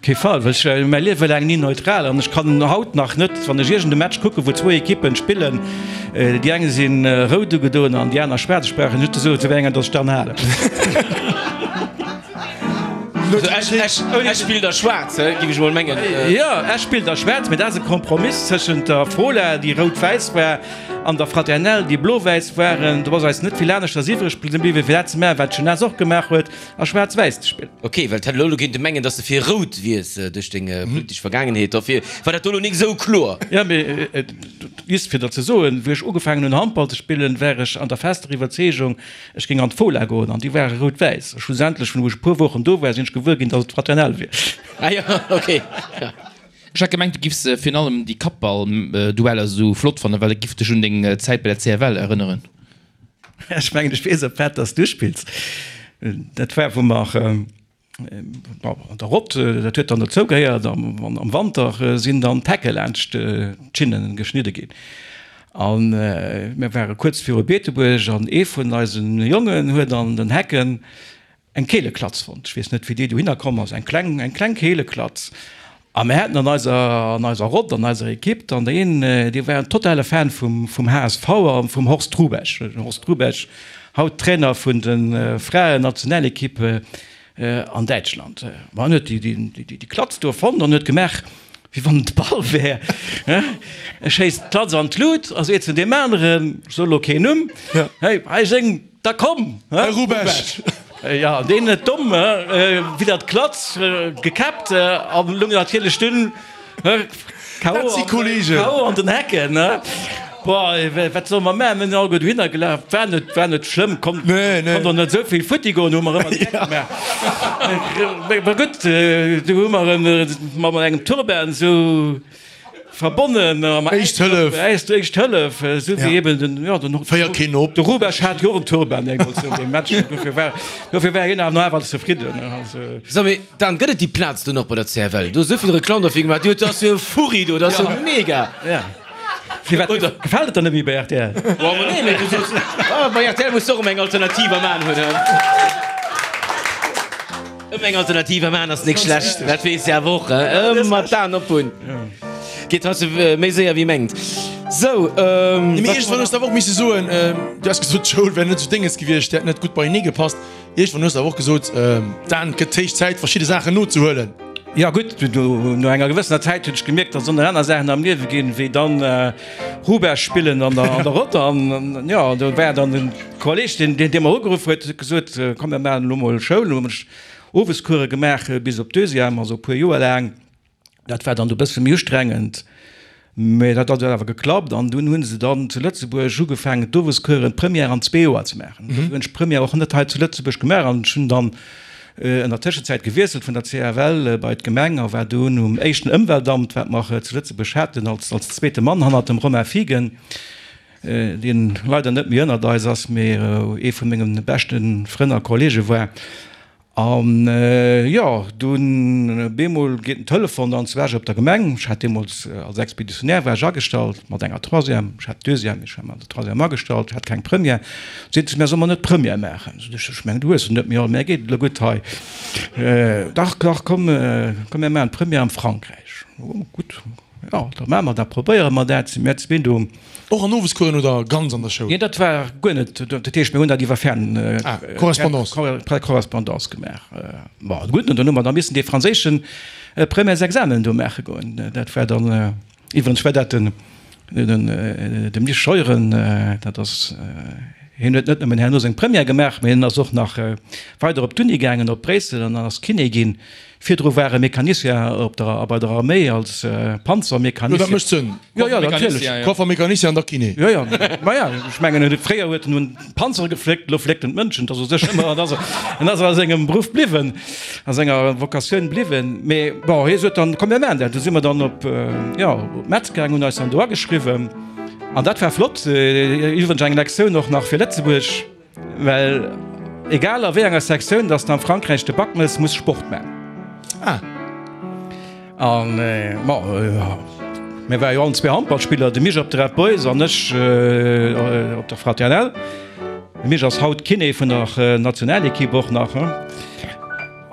Kee Fall, well ech war mäi Liewe laang ni neutral an ech kann haut nach net, wann ech iergend e Match kucken, wou zwou Ekippen spillen, déi eng si rout ugedoen an déi aner schwaarz, ech brauch net ze soen, zu wéi enger datt ech dann halen. Also Esch, Esch, Esch spillt a schwaarz, he, géif ech mol mengen. Jo, Esch spillt a schwaarz, mee dat ass e Kompromiss tëschent der Fola, déi rout-wäiss war, an der Fraternelle, déi blo-wäiss waren. Do ass eis net vill aneschters iwwreg bliwwen, fir dat ze maachen, wat d'Jeunesse och gemaach huet. A schwaarz-wäiss ze spillen. Ok, well et hätt elo kéinte mengen, dass de fir rout wiers duerch deng politesch Vergaangenheet. Dofir war dat do elo nik esou kloer. Jo, mee just fir der ze soen, wéi ech ugefaangen hunn Handball ze spillen, war ech an der fester Iwwerzeegung, ech géing an d'Fola goen an déi ware rout-wäiss. Schlussendlech, wou ech e puer Wochen do war, sinn ech gewuer ginn, dass et d'Fraternelle wier. Ah jo, ok. Ech hat gemengt, du giffs virun allem déi Kappball-Dueller esou flott fannen, well et giff dech un deng Zäit bei der CFL erënneren. Ech mengen, ech weess, op wat dass du spills. Dat war, wou mer an der Rott, dat huet dann dozou gehéiert, am Wanter sinn dann d'Hecke laanscht d'Schinnen geschnidde ginn. A mir ware kuerz viru Beetebuerg an ee vun eise Jongen huet an den Hecken Eng Keeleklatz fonnt. Ech weess net, wéi déi dohinner komm ass. Eng kleng, eng kleng Keeleklatz. A mir haten an eiser, an eiser Rott, an eiser Ekipp dann een, dee war en totale Fan vum, vum HSV a vum Horst Hrubesch. Den Horst Hrubesch, haut Trainer vun de Fraen-Nationalekipp an Däitschland. Ma en huet déi, déi, déi Klatz do fonnt an huet gemaach, wéi wann et de Ball wär. E schéisst d'Klatz an d'Lut a seet zu deem aneren, ech soe lo keen Numm, Hey, hei seng. Da komm, Här Rubesch! Jo, deen net domm, widder d'Klatz gekäppt an lung natierlech dunn KO an den Hecken. Boah, wat solle mer maachen? Mir sinn alleguer dohinner gelaf. War net, war net schlëmm, konnt, konnt och net esou vill futti goen, hu mer ëmmer de Geck gemaach. Mä gutt, du hu mer en mat engem Turban esou. Verbonnen am Éischt Hëllef. Éischt Hëllef, esou wéi eben den, jo, den, Féier keen op. De Rubesch hat jo och en Turban deemools no deem Match, dofir war, dofir war hien awer nach awer zefridden. Also. So, mee Dan, gëtt et déi Plaz do nach bei der CFL? Du hues esou vill Reklamm derfir gemaach, dat ass jo e Furri do, dat ass jo mega! Ja. Firwat gefält et der net méi bei rtl? Boah, ma nee, mee du soos, ah, bei rtl muss de och ëmmer eng Alternativ am Aen hunn, he? Ëmmer eng Alternativ am Aen ass nik schlecht, dat weess de awer och, he? Ëmmer d'Aen op hunn. Geet heiansdo méi séier wéi mengt. Sou, Nee, mee iergendwann hues de awer och misse soen, du has gesot, d'Schoul wär net esou dénges gewiescht, hätt net gutt beienee gepasst. Iergendwann hues de awer och gesot, Dan, et gëtt héich Zäit, verschidde Saachen nozehuelen. Jo gutt, no enger gewëssener Zäit hunn ech gemierkt, datt et och nach aner Saachen am Liewe ginn, wéi dann Rubesch spillen an der Rott. An jo, do war dann den Kolleg, deen dee mer ugeruff huet, huet gesot, komm mir maachen elo mol Schoul. Hu ech Owescourse gemaach bis op d'Deuxième, also e puer Joer laang. Dat war dann e bësse méi ustrengend, mä dat hat awer geklappt. An dunn hu se dann zu Lëtzebuerg ugefaangen, d'Owescoursen, d'Première an zwee Joer ze maachen. Dofir hunn ech d'Première och net hei zu Lëtzebuerg gemaach an ech hunn dann an der Tëschenzäit gewiesselt vun der CFL bei d'Gemeng a war dunn um éischten Ëmweltamt, wat mer zu Lëtzebuerg haten, als als zweete Mann hannert dem Romain Fiegen, deen leider net méi ënnert eis ass, mee ee vu menge beschte Frënn a Kollege war. An jo, dunn bemol geet den Telefon an, zu Esch op der Gemeng. Ech hat deemools als Expeditionär war ech agestallt mat enger Troisième, ech hat Deuxième, mee ech war mat der Troisième agestallt, hat keng Première. Seet se, Mär solle mer net Première maachen? Sot ech, Ech mengen, du hues se net méi all, mär geet et elo gutt hei. Dach, dach, komm, komm mär maachen d'Première am Frankräich. Oh, gutt, jo, da maache mer dat, probéiere mer dat. Si mär zwee do. Och an Owescoursen oder ganz an der Schoul? Nee, dat war guer net. Dat heescht, mir hunn dat iwwer Fern. Ah, Correspondance. Correspondance gemaach. Bon, gutt, an dann hu mer da missen dee franséische Premièresexamen do maache goen. Dat war dann, iwwregens war dat den, den, dem Mich Scheuren, dat ass, hien huet net nëmmen herno seng Première gemaach, mä hien ass och nach weider op d'Uni gaangen, op Bréissel, an ass Kiné ginn. Virdru war e Mecanicien op der, bei der Arméi als Panzermecanicien. Jo, dat mécht Sënn. Jo, jo, natierlech. Koffermecanicien an da Kiné. Jo, jo, maja, ech mengen, fréier huet en un Panzere gefléckt, elo fléckt en d'Mënschen. Dat ass u sech ëmmer, en ass, en ass a sengem Beruff bliwwen, a senger Vocatioun bliwwen. Mee bon, hie sot dann, komm mir maachen dat. Du si mer dann op, jo, op Metz gaangen, hunn eis dann do ageschriwwen. An dat war flott. Iwwregens eng Lektioun och nach fir Lëtzebuerg. Well. Egal a wéi enger Sektioun dass de am Frankräich de Bac mëss, muss Sport man. Ah. An bon, mir ware jo allen zwee Handballspiller, de Mich op de Red Boys an ech op der Fraternelle. De Mich ass haut Kiné vun der Nationalequipe och nach.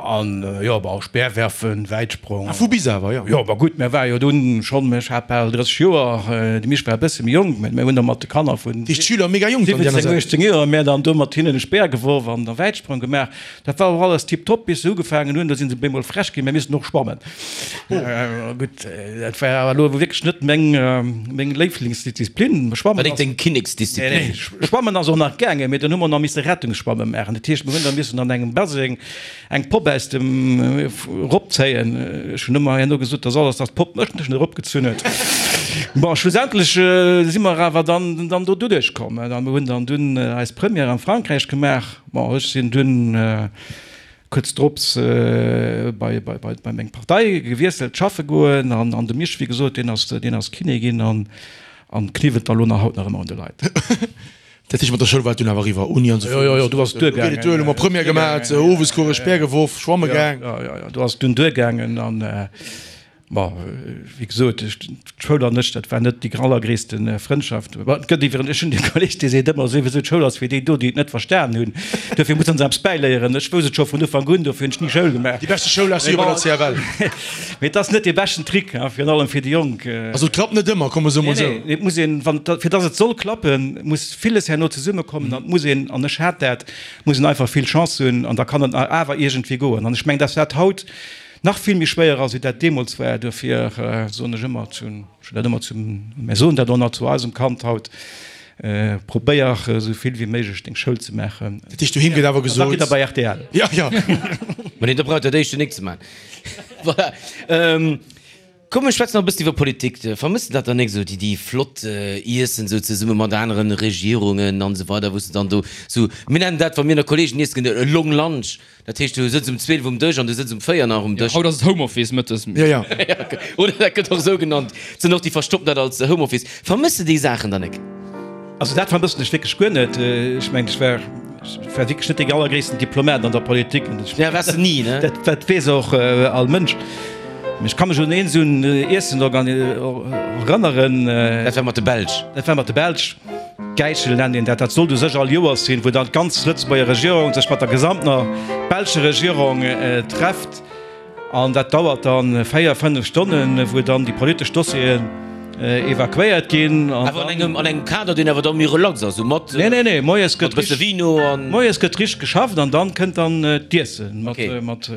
An jo, bon, Speerwerfen, Wäitsprong. Ah, vu bis awer, jo. Jo, ma gutt, mir ware jo dunn schonn, ech hat bal 30 Joer, de Mich war e bësse méi jonk, mä mir hunn da mat de Kanner vun 17, 18 Joer, mir dann do mat hinnen e Speer geworf an da Wäitsprong gemaach. Dat war och alles tiptop, bis se ugefaangen hunn, do si se bemol frech ginn, mir missten och schwammen. Gutt, dat war awer elo wierklech net meng, meng Léiflingsdisziplin. Schwammen War net deng Kinneksdisziplin. Nee, Schwammen ass och nach gaangen, mee dann hu mer nach misse Rettungsschwamme maachen. Dat heescht, mir hunn da missen an engem Baseng eng Popp aus dem eropzéien. Ech hunn ëmmer herno gesot, dass alles, dass d'Popp mech net eropgezunn huet. Bon, schlussendlech si mer awer dann, dann do doduerch komm a mir hunn dann dunn eis Première am Frankräich gemaach. Bon, ech sinn dunn kuerz drops bei, bei, bei, bei meng Partei gewiesselt, schaffe goen an, an de Misch, wéi gesot, deen ass, deen ass Kiné ginn an, an kniwwelt da lo nach haut nach ëmmer un de Leit. Dat heescht, mat der Schoul war et dunn awer eriwwer, Uni an esou Jo, jo, jo, du ass duergaangen. Geet et duer, elo mol Première gemat, Owescours, Speer geworf, schwamme gaang. Jo, jo, jo, do ass et dunn duergaangen an, bon, wéi gesot, d'Schoul an ech, dat war net déi allergréisste Frëndschaft. Bon, et gëtt iwweren, ech hunn e Kolleg, dee seet ëmmer souwisou, d'Schoul ass fir déi do, déi et net verstan hunn, dofir musse se eppes bäiléieren. Ech wousst et scho vun Ufank un, dofir hunn ech ni Schoul gemaach. Déi beschte Schoul ass jo bei der CFL. Mee et ass net dee beschten Trick, virun allem fir déi Jonk. Also et klappt net ëmmer, komm mer soe mol esou. Nee, nee, et muss een, wann, fir dass et soll klappen, muss villes herno zesummekommen an et muss een, an ech hat dat, muss een einfach vill Chance hunn an da kann et awer iergendwéi goen. An ech mengen, dass dat haut nach vill méi schwéier ass, wéi dat deemools war. Duerfir soen ech ëmmer zu, ech hunn dat ëmmer zum, mir soen dat och nach zu eisem Kand haut, Probéier esou vill wéi méiglech deng Schoul ze maachen. Dat heescht, doheem gëtt awer gesot. An da gitt der bei rtl. Jo, jo. Mä nee, da braucht der dat éischte nik ze maachen. Voilà. Komm mir schwätzen nach e bëssen iwwer Politik. Vermëss de dat dann nik esou, déi, déi flott Iessen esou zesumme mat aneren Regierungen an esou weider, wou s de dann do esou, mir nennen dat, wa mir ënner Kollegen iessen ginn, e long lunch. Dat heescht, du sëtz um 12 um Dësch an du sëtz um 4 nach um Dësch. Haut ass et Homeoffice mëttes. Jo, jo. Oder dat gëtt och esou genannt. Et sinn och déi verstoppen dat als Homeoffice. Vermëss de déi Saachen dann nik? Also dat vermëssen ech wierklech guer net. Ech mengen, ech war, ech war wierklech net dee allergréissten Diplomat an der Politik. Ja, waars de ni, ne? Dat, dat weess och all Mënsch. Mee ech ka mech un een esou en Iessen erënneren. Dat war mat de Belsch. Dat war mat de Belsch. Gäichel nennt een dat. Dat sollt u sech all Joers sinn, wou dann d'ganz Lëtzebuerger Regierung sech mat der gesamter belscher Regierung trefft. An dat dauert dann 4, 5 Stonnen, wou dann déi politesch Dossieren evakuéiert ginn. Awer an engem, an engem Kader, deen awer da méi relax ass, esou mat, Nee, nee, nee, moies gëtt mat e bësse Vino an. Moies gëtt richteg geschafft an dann kënnt dann d'Iessen mat, mat.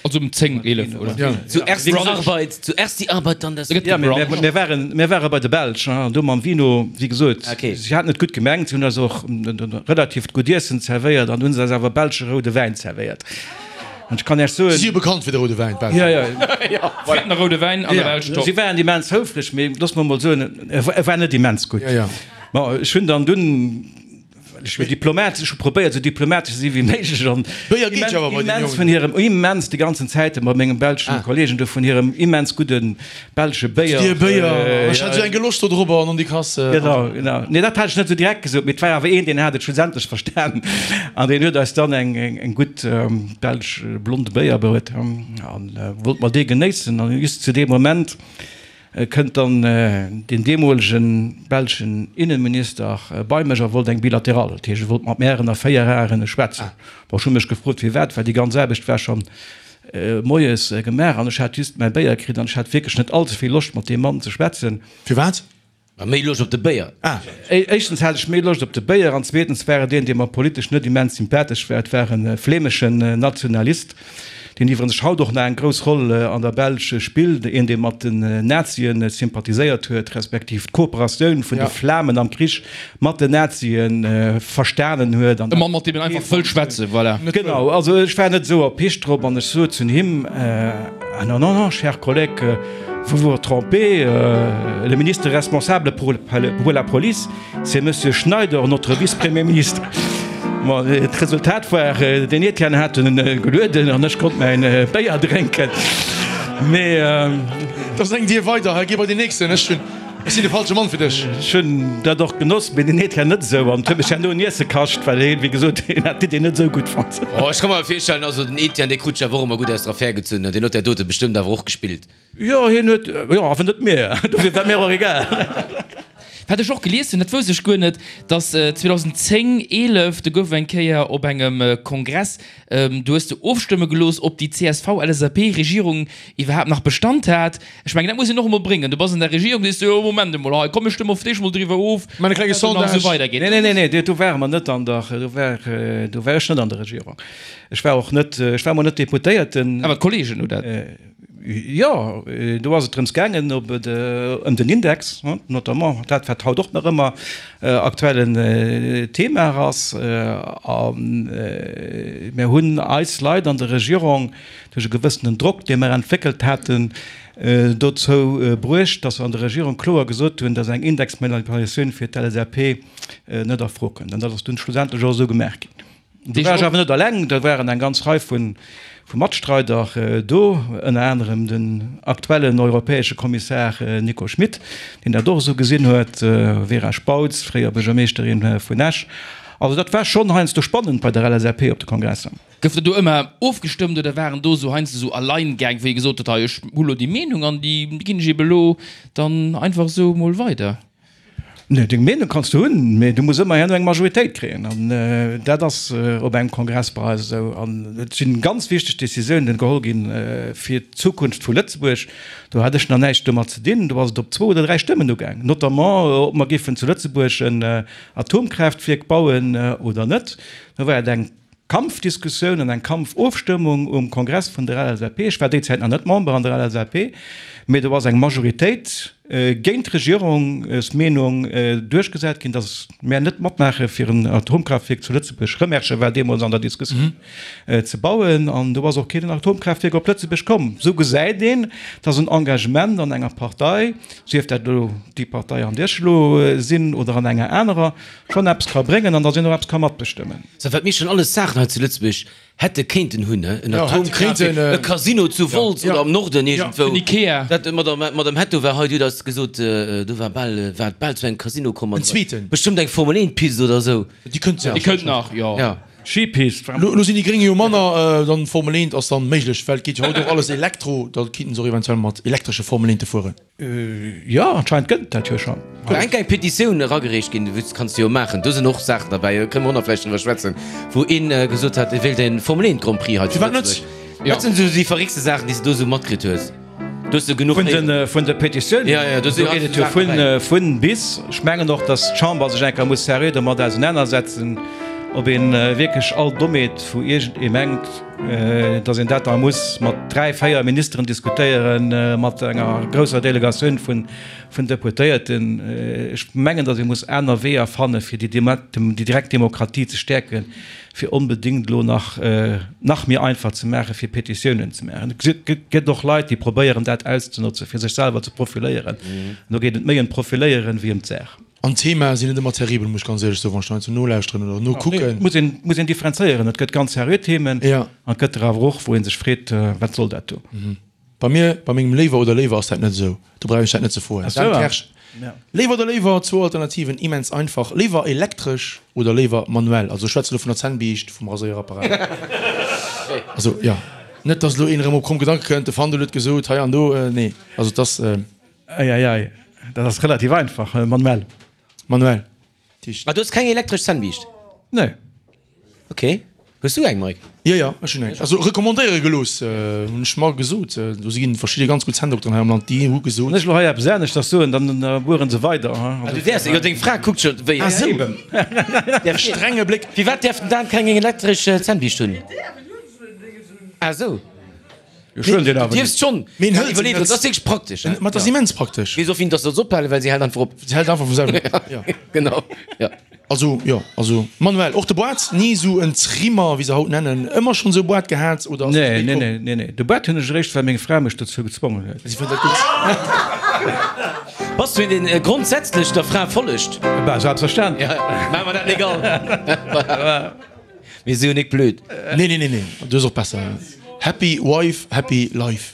Also um 10, 11, oder? Ja. Zuerst die Arbeit, zuerst die Arbeit, dann das. Ja, mir, mir waren, mir ware bei de Belsch, an do mam Vino, wéi gesot, Okay. si haten et gutt gemengt, si hunn eis och relativt gutt Iessen zerwéiert an hunn se eis awer belsche roude Wäin zerwéiert. An ech kann Iech soen. Si si jo bekannt fir de roude Wäin, d'Belsch. Ja, ja. Fritten a roude Wäin an der Belsch, top. Si waren immens houfreg, mee looss mer mol soen, e war net immens gutt. Ja, ja. Bon, ech hunn dann dunn. Well ech wier Diplomat, ech hu probéiert esou diplomatesch ze si wéi méiglech an Béier geet jo awer bei den immens Jongen. vun hirem, immens déi ganzen Zäite mat mengem belschen Kollegen do vun hirem immens gudde belsche Béier. Dir Béier, ech hat esou eng Geloscht do drobber an Nondikass. Genau, genau. Nee, dat hat ech net esou direkt gesot, mee et war awer een, deen hat et schlussendlech verstan an deen huet eis dann eng, eng gutt belsch blonde Béier bruet an wollt mer dee genéissen an just zu deem Moment Kënnt dann deen deemolege belschen Innenminister bei mech a wollt eng Bilaterale, dat heescht e wollt mat mär ënner 4 Aen schwätzen. Bon, ech hu mech gefrot firwat, well déi ganz Aarbecht war schonn moies gemaach an ech hat just mäi Béier kritt an ech hat wierklech net all ze vill Loscht mat deem Mann ze schwätzen. Firwat? Mä méi Loscht op de Béier. Ah. Éischtens hat ech méi Loscht op de Béier an zweetens war et een, dee mer politesch net immens sympathesch war. Et war e flämeschen Nationalist, deen iwwerens haut och nach eng grouss Roll an der Belsch spillt, een, dee mat den Nazien sympathiséiert huet, respektiv d'Kooperatioun vun de Flamen am Krich mat den Nazien verstanen huet. E Mann, mat deem een einfach wëll schwätzen, voilà. Genau, also ech war net esou erpicht drop an ech sot zu him, Ah non, non, non, cher collègue, vous vous trompez, le ministre responsable pour pour la police, c'est Monsieur Schneider, notre vice-premier ministre. Bon, d'Resultat war, den Etienne hat en gelueden an ech konnt mäin Béier drénken. Mee. Da ass eng Dier weider, hei, gi bei den nächsten. Ech hunn. Ech sinn de falsche Mann fir dech. Ech hunn dat och genoss, mee den Etienne net esou. An et huet mech herno un Iesse kascht, well hien, wéi gesot, hien hat d'Idee net esou gutt fonnt. Oh, ech ka mer virstellen, also den Etienne, dee krut sech awer och ëmmer gutt aus der Affär gezunn, deen huet där dote bestëmmt awer och gespillt. Jo, hien huet, jo, awer net mir, dofir war mir och egal. Wat ech och gelies hunn, dat wousst ech guer net, dass 2010, 11, do gouf eng Kéier op engem Kongress, do hues de ofstëmme gelooss, ob déi CSV-LSAP-Regierung iwwerhaapt nach Bestand hat. Ech mengen, dat muss een och emol bréngen. Du bass an der Regierung, sees du, jo, Moment emol, hei, komm, mir stëmme op d'éischt emol driwwer of, Maan e klenge ob dat nach Sondage. esou weidergeet. Nee, nee, nee, nee, do ware mer net an der, do war, do war ech net an der Regierung. Ech war och net, ech war emol net Deputéierten. Awer d'Kollegen hu dat. Jo, do ass et drëms gaangen, ob et ëm den Index, notamment dat, wat haut och nach ëmmer aktuellen Thema ass. A mir hunn eis Leit an der Regierung duerch e gewëssenen Drock, dee mir entwéckelt haten, dozou bruecht, datt se an der Regierung kloer gesot hunn, datt eng Indexmanipulatioun fir d'LSAP net a Fro kënnt. An dat ass dunn schlussendlech och esou gemaach ginn. Do war ech awer net alleng, do waren eng ganz Rei vu Matstreider do, ënner anerem den aktuellen europäesche Kommissar Nico Schmit, deen dat och esou gesinn huet, Vera Spautz, fréier Buergermeeschterin vun Esch. Also dat war schonn heiansdo spannend bei der LSAP op de Kongresser. Gouf dat do ëmmer ofgestëmmt oder waren do esou heiansdo esou Alleingäng, wou ee gesot huet, hei ech hu lo déi Meenung an déi ginn ech ebe lo dann einfach esou mol weider? Nee, deng Meenung kanns du hunn, mee du muss ëmmer herno eng Majoritéit kréien. An dat ass op engem Kongress bei eis esou. An et sinn ganz wichteg Décisiounen geholl ginn fir d'Zukunft vu Lëtzebuerg. Do hat ech nach näischt domat ze dinn. Do ass et op zwou oder dräi Stëmmen ugaang, notamment ob mer géifen zu Lëtzebuerg en Atomkraaftwierk bauen oder net. Do war et eng Kampfdiskussioun an eng Kampfofstëmmung um Kongress vun der LSAP. Ech war déi Zäit nach net Member an der LSAP, mee do ass eng Majoritéit géint d'Regierungsmeenung duerchgesat ginn, datt mär net matmaache fir en Atomkraaftwierk zu Lëtzebuerg, Rëmerschen war deemools an der Diskussioun, ze bauen. An do ass och keen Atomkraaftwierk op Lëtzebuerg komm. Esou gesäit een, datt en Engagement an enger Partei, sief dat elo déi Partei an där ech elo sinn oder an enger anerer, schonn eppes ka bréngen an datt een och eppes ka matbestëmmen. Sou, wat mir schonn alles Saachen hei zu Lëtzebuerg hätte kéinten hunn, he, en Atomkraaftwierk, e Casino zu Wolz oder am Norden iergendwou. En Ikea. Dat, d'Madame, d'Madame Hetto war hei, déi huet eis gesot, do war bal, war et bal zu engem Casino komm. En zweeten. Bestëmmt eng Formel 1 Pist oder esou. Déi kënnt Déi kënnt nach, jo. Ja. Skipist. Lo sinn déi Gréng jo manner, dann Formel 1 ass dann méiglech, well et geet jo haut och alles Elektro, da kinnten se och eventuell mat elektresche Formel 1te fueren. Jo, anscheinend gëtt et dat jo schonn. Do eng kleng Petitioun eragereecht ginn, dat kanns du jo maachen, do sinn och Saachen derbäi, do kënne mer och nach vläicht driwwer schwätzen, wou een gesot hat, e wéilt e Formel 1 Grand Prix hei zu Lëtzebuerg. Wat sinn esou déi verréckste Saachen, déi s de do esou matkritt hues? Do hues de genuch héieren. Vun de Petitiounen? Jo, jo, do Do geet et jo vun, vun bis. Ech mengen och, datt d'Chamber sech eng Kéier muss seriö domat ausenanersetzen, ob ee wierklech all Dommheet, wou iergendee mengt, Datt een dat da muss mat 3, 4 Ministeren diskutéieren, mat enger grousser Delegatioun vun Deputéierten. Ech mengen, datt ee muss aner Weeër fanne fir déi direkt Demokratie ze stäerken, fir onbedéngt elo nach nach méi einfach ze maachen, fir Petitiounen ze maachen. Et gëtt och Leit, déi probéieren dat auszenotzen, fir sech selwer ze profiléieren. An do geet et méi ëm d'Profiléieren wéi ëm d'Saach. An d'Themae sinn net ëmmer terribel, muss ech ganz éierlech soen, wann ech heiansdo nolauschteren oder nokucken. Et muss een, muss een differenzéieren. Et gëtt ganz seriö Themen an et gëtt der awer och, wou ee sech freet, Wat soll dat do? Bei mir, bei mengem Léiwer oder Léiwer ass dat net esou. Do brauch ech dat net ze froen. Ach sou, Dan ah. Kersch, Léiwer oder Léiwer, zwou Alternativen, immens einfach. Léiwer elektresch oder léiwer manuell? Also ech schwätze lo vun der Zännbiischt, vum Raséierapparat. Also jo, net dass elo een erëm op kromm Gedanke kënnt, de Fandel huet gesot hei an do. Nee, also et ass. Ei, ei, ei, dat ass relativ einfach, manuell. Manuell. Ah, du hues keng elektresch Zännbiischt? Nee. Ok. Hues du eng, Mike? Jo, jo, ech hunn eng. Also recommandéiere gelooss, hunn ech mer gesot. Do si ginn verschidde ganz gutt Zänndokteren hei am Land, déi hu gesot. Wann ech elo hei eppes aneschters soen, dann bueren se weider. Ah, du däerfs, jo, deng Fra kuckt scho wéi. Ah, sou. Däerf Strenge Bléck. Firwat däerf den Dan keng elektresch Zännbiischt hunn? Ah, sou. Du dierfs schonn, Mee en hëlt se iwwerleet, net. dat ass wierklech praktesch. Ma et ass immens praktesch. Weess och wien dass se soll ophalen, well si hält einfach op. Si hält einfach vum selwen op, jo. Genau, jo. Also, jo, also manuell. Och de Boîte, ni esou en Trimmer, wéi se haut nennen, ëmmer schonn esou e Boîte gehat oder ass dat Nee, spéit nee, komm? nee, nee, nee. De Boîte hunn ech eréischt, well meng Fra mech dozou gezwongen huet. Si fënnt dat gutt. Bass du een, deen grondsätzlech der Fra follegt? Bah, selbstverständlech. Ja, maache mer dat legal. Mir si jo nik blöd. Nee, nee, nee, nee, du ass och besser. Happy wife, happy life.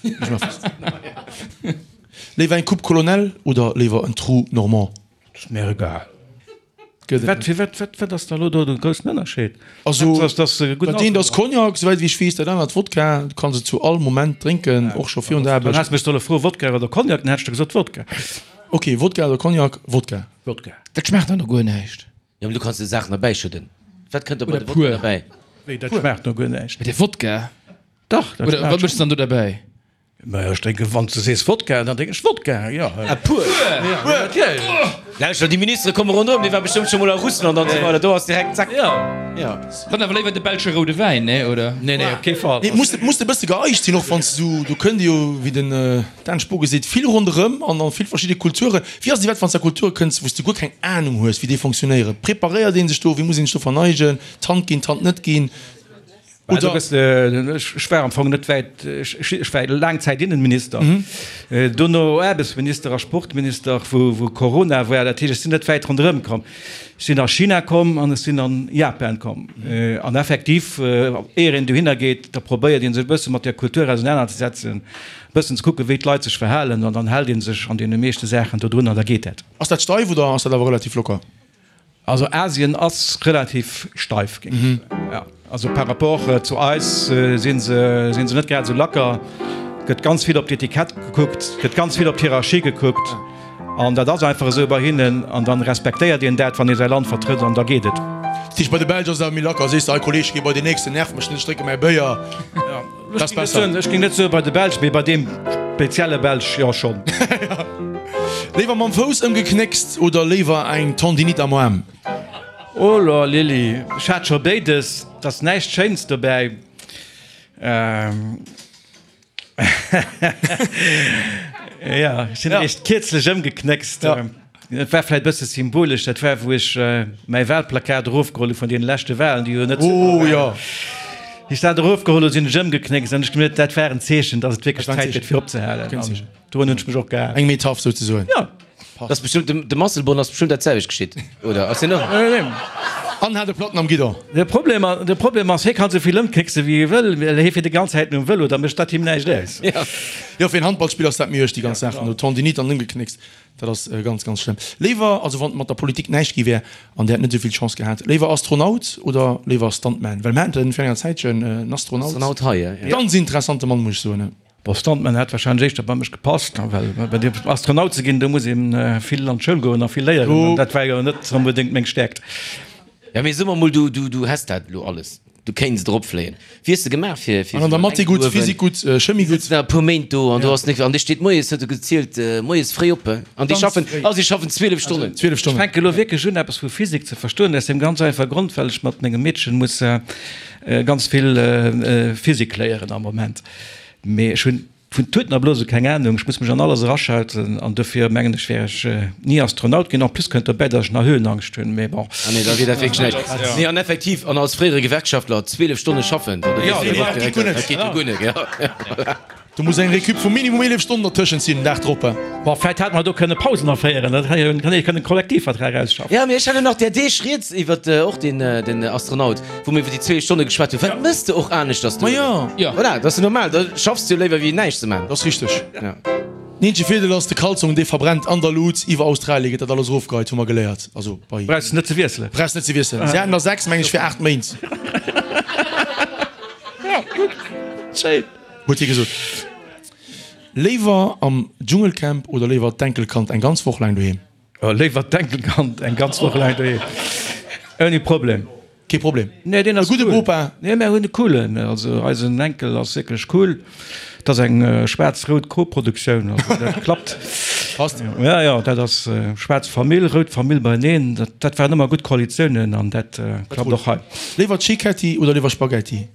Léiwer eng Coupe Colonel oder léiwer en Trou Normand? Dat ass mir egal. Gëtt et Wat, fir wat, wat, wat ass da elo do de groussen Ënnerscheed? Also, Haaptsaach, dass se gutt dat eent ass Cognac, souwäit wéi ech weess, dat anert Wodka. Du kanns et zu all Moment drénken, och scho virun der Dann Aarbecht. häss mech solle froe Wodka oder Cognac, dann hätt ech der gesot Wodka. Ok, Wodka oder Cognac? Wodka. Wodka. Dat schmaacht dann no guer näischt. Jo, mee du kanns jo Saachen derbäischëdden. Wat kënnt da bei Oder de Wodka pur. derbäi? Wéi, dat schmaacht no guer näischt? Bei de Wodka? Dach, dat Oder schmaacht wat méchs schon. du dann do derbäi? Majo, ech drénken, wann s de sees Wodka, dann drénken ech Wodka, jo. Ah, pur? Natierlech. Lauschter, déi Ministere komme ronderëm, déi war bestëmmt scho mol a Russland an esou weider, do ass direkt zack. Jo. Jo. Dann awer léiwer de belsche roude Wäin, nee, oder? Nee, nee, op kee Fall. Nee, muss, muss de bësse geeicht sinn, och wann s du, do kënnt jo, wéi den Dan Spogen seet, vill ronderëm an an vill verschidde Kulturen. Wéi ass et iwwerhaapt, wann s de a Kulture kënns, wou s de guer keng Anung hues, wéi déi fonctionnéieren? Preparéiert ee sech do? Wéi muss een sech do verneigen? D'Hand ginn, d'Hand net ginn? Oder? Oder? Ech war am Fong net wäit, ech war laang Zäit Innenminister, dono Aarbechtsminister a Sportminister, wou Corona war. Dat heescht, ech sinn net wäit ronderëm komm. Ech sinn a China komm an ech sinn an Japan komm. An effektiv, éier een dohinner geet, da probéiert ee sech e bësse mat där Kultur ausenanerzesetzen, e bëssen ze kucken, wéi d'Leit sech verhalen an dann hält ee sech an deene meeschte Saachen dodrun an da geet dat. Ass dat steif oder ass dat awer relativ locker? Also Asien ass relativ steif, géing ech soen. Jo, also par rapport zu eis si se, si se net grad esou lacker. Gëtt ganz vill op d'Etikett gekuckt, gëtt ganz vill op d'Hierarchie gekuckt an dat ass einfach esou bei hinnen an dann respektéiert een dat, wann ee säi Land vertrëtt an da geet et. Dat heescht bei de Belsch ass et awer méi lacker, sees de, hei Kolleg, géi bei deen nächsten, nerv mech net, ech drécke mäi Béier. Dat ass besser. Ech géing net soe bei de Belsch, mee bei deem spezielle Belsch, jo schonn. Léiwer mam Fouss ëmgeknéckst oder léiwer eng Tendinite am Aarm? Oh la Lili, ech hat scho béides, et ass näischt Schéins dobäi. Jo, ech sinn eréischt kierzlech ëmgeknéckst. Et war vläit e bësse symbolesch, dat war wou ech mäi Wahlplakat erofgeholl hu vun deene leschte Wahlen, déi jo net Oh jo. Wéi ech dat erofgeholl hu sinn ech ëmgeknéckst an ech gemierkt, dat war en Zeechen, datt et wierklech Zäit gëtt fir opzehalen. An dorun hunn ech mech och gehalen. Eng Metaph souzesoen. Jo. Dat ass bestëmmt, dem Asselborn ass bestëmmt dat selwecht geschitt, oder? Ass hien och? An hat e Platten am Guidon. De Problem, de Problem ass, hie kann esou vill ëmknéckse wéi hie wëll, well hie fiert déi ganz Zäit nom Vëlo, da mécht dat him näischt aus. Jo, fir en Handballspiller ass dat méi uerg, déi ganz Saachen do, Tendinite an ëmgeknéckst. Dat ass ganz, ganz schlëmm. Léiwer, also wann mat der Politik näischt gi wär an Dir hätt net esou vill Chance gehat, léiwer Astronaut oder léiwer Stuntman? Well mir haten virun enger Zäitchen en Astronaut. Astronaut hei, ja. Ganz interessante Mann, muss ech soen. Bon, Stuntman hätt wahrscheinlech éischter bei mech gepasst, well bei dir Astronaut ze ginn, do muss ee vill an d'Schoul goen a vill léieren, an dat war jo net onbedéngt meng Stäerkt. Ja, mee so mer mol, du, du, du häss dat elo alles. Du kéints drop fléien. Wéi hues de gemaach fir fir An an der Mathé gutt, Physik gutt, Chemie gutt. Sëtzen da e puer Méint do an do ass nik an dee steet moies, huet e gezielt, moies fréi op an déi schaffen, ah si schaffen 12 Stonnen. 12 Ech Stonnen. fänke lo wierklech un eppes vu Physik ze verstoen, aus deem ganz einfache Grond, well ech mat mengem Meedchen muss ganz vill Physik léieren am Moment. Mee ech hunn Vun Tuten a Blose keng Ahnung, ech muss mech an alles eraschalten an dofir mengen ech wär ech ni Astronaut ginn. En plus kënnt dobäi dass ech nach Höhenangscht hunn, mee bon. Ah nee, da wier dat wierklech näischt. Nee an effektiv, an als fréiere Gewerkschaftler 12 Stonne schaffen, da weess de och direkt, dat geet jo guer net, ja. Do muss eng Récup vu minimum 11 Stonnen dertëschent sinn, den Dag drop. Bon, vläit hätt mer do kënne Pausen aféieren, dat hätt ee kënnen Kollektivvertrag ausschaffen. Jo, mee ech hat jo nach där Deeg rieds iwwert och deen den Astronaut, wou mir iwwer déi 12 Stonne geschwat hunn. Wat mëss de och aneschters do? Ma jo. Jo. Voilà, dat ass jo normal, da schaffs de jo léiwer wéi näischt ze man. Dat ass richteg. Ja. Den eenzege Virdeel ass, de Kalzong dee verbrennt an der Lut. Iwwer Australie gëtt dat alles erofgeheit, hu mer geléiert. Also bei. Brauchs net ze wiesselen. Brauchs net ze wiesselen. Si haten der 6, meng ech, fir 8 Méint. Ja, gutt. Schéin. Huet hie gesot. Léiwer am Dschungelcamp oder léiwer d'Enkelkand eng ganz Woch laang doheem? Léiwer d'Enkelkand eng ganz Woch laang doheem. Ouni Problem. Kee Problem. Nee, deen ass E gudde cool. Bopa. Nee, mär hunn e coolen. Also eisen Enkel ass wierklech cool. Et ass eng schwaarz-rout Koproduktioun, also dat klappt. Passt. Ja, ja, dat ass schwaarz Famill, rout Famill beieneen. Dat, dat waren ëmmer gutt Koalitiounen an dat klappt och hei. Léiwer Cicchetti oder léiwer Spaghetti?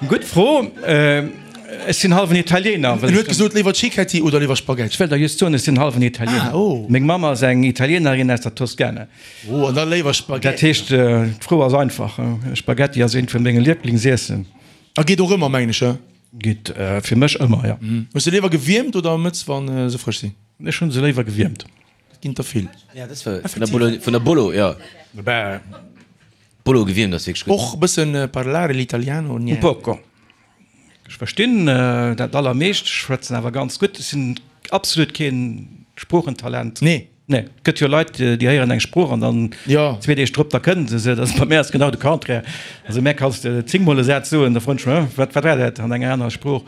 Gutt Fro. Ech sinn hallwen Italiener. En huet gesot, léiwer Cicchetti oder léiwer Spaghetti? Ech wëll der just soen, ech sinn hallwen Italiener. Ah, oh. Meng Mamm ass eng Italienerin aus der Toskana. Oh, an da léiwer Spaghetti. Dat heescht, d'Fro ass einfach. Spaghetti ass eent vun menge Lieblingsiessen. A geet och ëmmer, mengen ech, he? Geet fir mech ëmmer, jo. Hues de léiwer gewiermt oder mëtz, wa se frësch sinn? Ech hu se léiwer gewiermt. Dat ginn der vill. Ja, dat war vun der Bolo, vun der Bolo, ja. Bolo gewiermt ass wierklech gutt. Och e bëssen parlare l'italiano? Un poco. Ech verstinn dat allermeescht, ech schwätzen awer ganz gutt. Ech sinn absolut keen Sproochentalent. Nee. Nee, et gëtt jo Leit, déi héieren eng Sprooch an dann zwee Deeg drop, da kënnen se se. Dat ass bei mär ass genau de Contraire. Also mär kanns de zéngmol e Saz soen, da froen ech mech, Wat war dat an enger anerer Sprooch?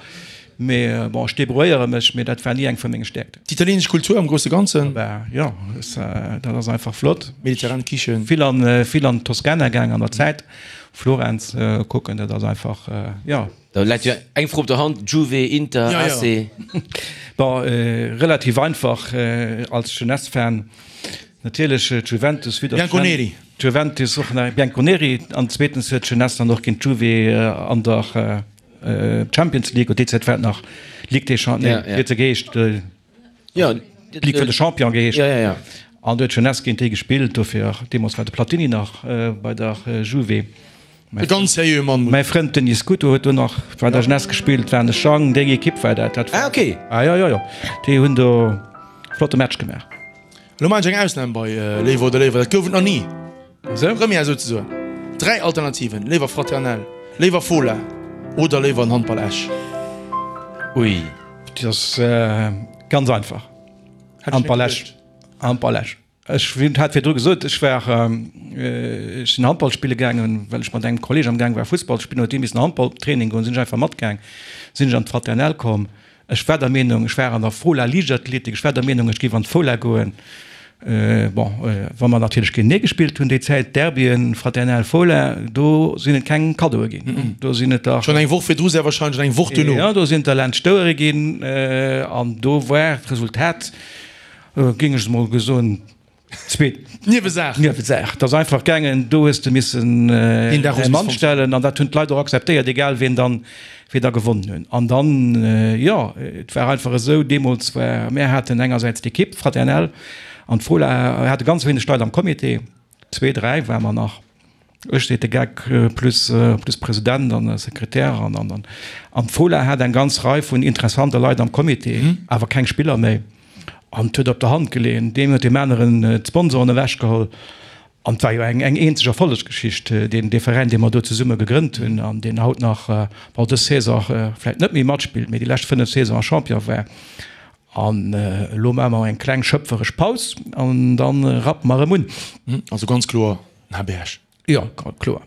Mee bon, ech debrouilléiere mech, mee dat war ni eng vu menge Stäerkten. D'italieenesch Kultur am grousse Ganzen? Bah jo, dat ass einfach flott. Mediterran Kichen. Vill an, vill an d'Toskana gaang an der Zäit, Florenz kucken, dat ass einfach, jo. Da läit jo eng Fro op der Hand, Juve, Inter, AC? Bon, relativ einfach als Jeunesse-Fan natierlech d'Juventus, vue datt d'Juventus och nach Bianconeri an zweetens huet d'Jeunesse dann och géint d'Juve an der Champions League, déi Zäit war et nach Ligue des Champions, nee, wéi huet se geheescht? D'Ligue vun de Champions geheescht. An do huet d'Jeunesse géint déi gespillt, dofir, deemools war de Platini nach bei der Juve. E ganz seriöe Mann. Mäi Frënd Denis Scuto huet do nach bei der Jeunesse gespillt, war de Jang, déi Ekipp war dat. Ah ok. Ah jo, jo, jo, déi hunn do flotte Match gemaach. Elo maachen ech eng Ausnam bei Léiwer oder Léiwer, dat gouf et nach ni. Esou? Première souzesoen. 3 Alternativen, Léiwer Fraternel, Léiwer Fola oder Léiwer en Handball Esch. Ui. Dat ass ganz einfach. Handball Esch. Handball Esch. Ech hat virdru gesot, ech war, ech sinn Handball spille gaangen, well ech mat engem Kolleg am gaang war Fussball ze spillen, huet dee missen Handballtraining goen, sinn ech einfach matgaang, sinn ech an d'Fraternel komm. Ech war der Meenung, ech war an der Fola Liichtathletik, ech war der Meenung, ech géif an d'Fola goen. Bon, wa mer natierlech géintenee gespillt hunn déi Zäit, Derbyen, Fraternel, Fola, do sinn et keng Kaddoe ginn, do sinn et der. Schonn eng Woch virdru sehr wahrscheinlech an eng Woch duerno. Jo, do sinn et der laanscht d'Ouere ginn an do war d'Resultat, Géing ech emol gesoen, zweet Niewesaach. Niewesaach. Et ass einfach gaangen, do hues de missen däi Mann stellen an dat hunn d'Leit och akzeptéiert, egal wien dann, wien da gewonnen hunn. An dann, jo, et war einfach esou, deemools war, mär haten engersäits d'Ekipp Fraternel an d'Fola, hate ganz wéineg Leit am Comité, zwee, dräi ware mer nach. Ech seet de Geck, plus plus President an Sekretär an an an an d'Fola hat eng ganz Rei vun interessante Leit am Comité, awer keng Spiller méi. An et huet op der Hand geleeën, deen huet deem aneren d'Sponsoren ewechgeholl. An et war jo eng eng eenzeg Erfollegsgeschicht, deen dee Veräin, dee mer do zesumme gegrënnt hunn an deen haut nach, bon dës Saison vläicht net méi matspillt, mee déi lescht 5 Saisonen Champion war. An elo maache mer eng kleng schöpferesch Paus an da rappe mer erëm un. Also ganz kloer den HB Esch. Jo, kloer.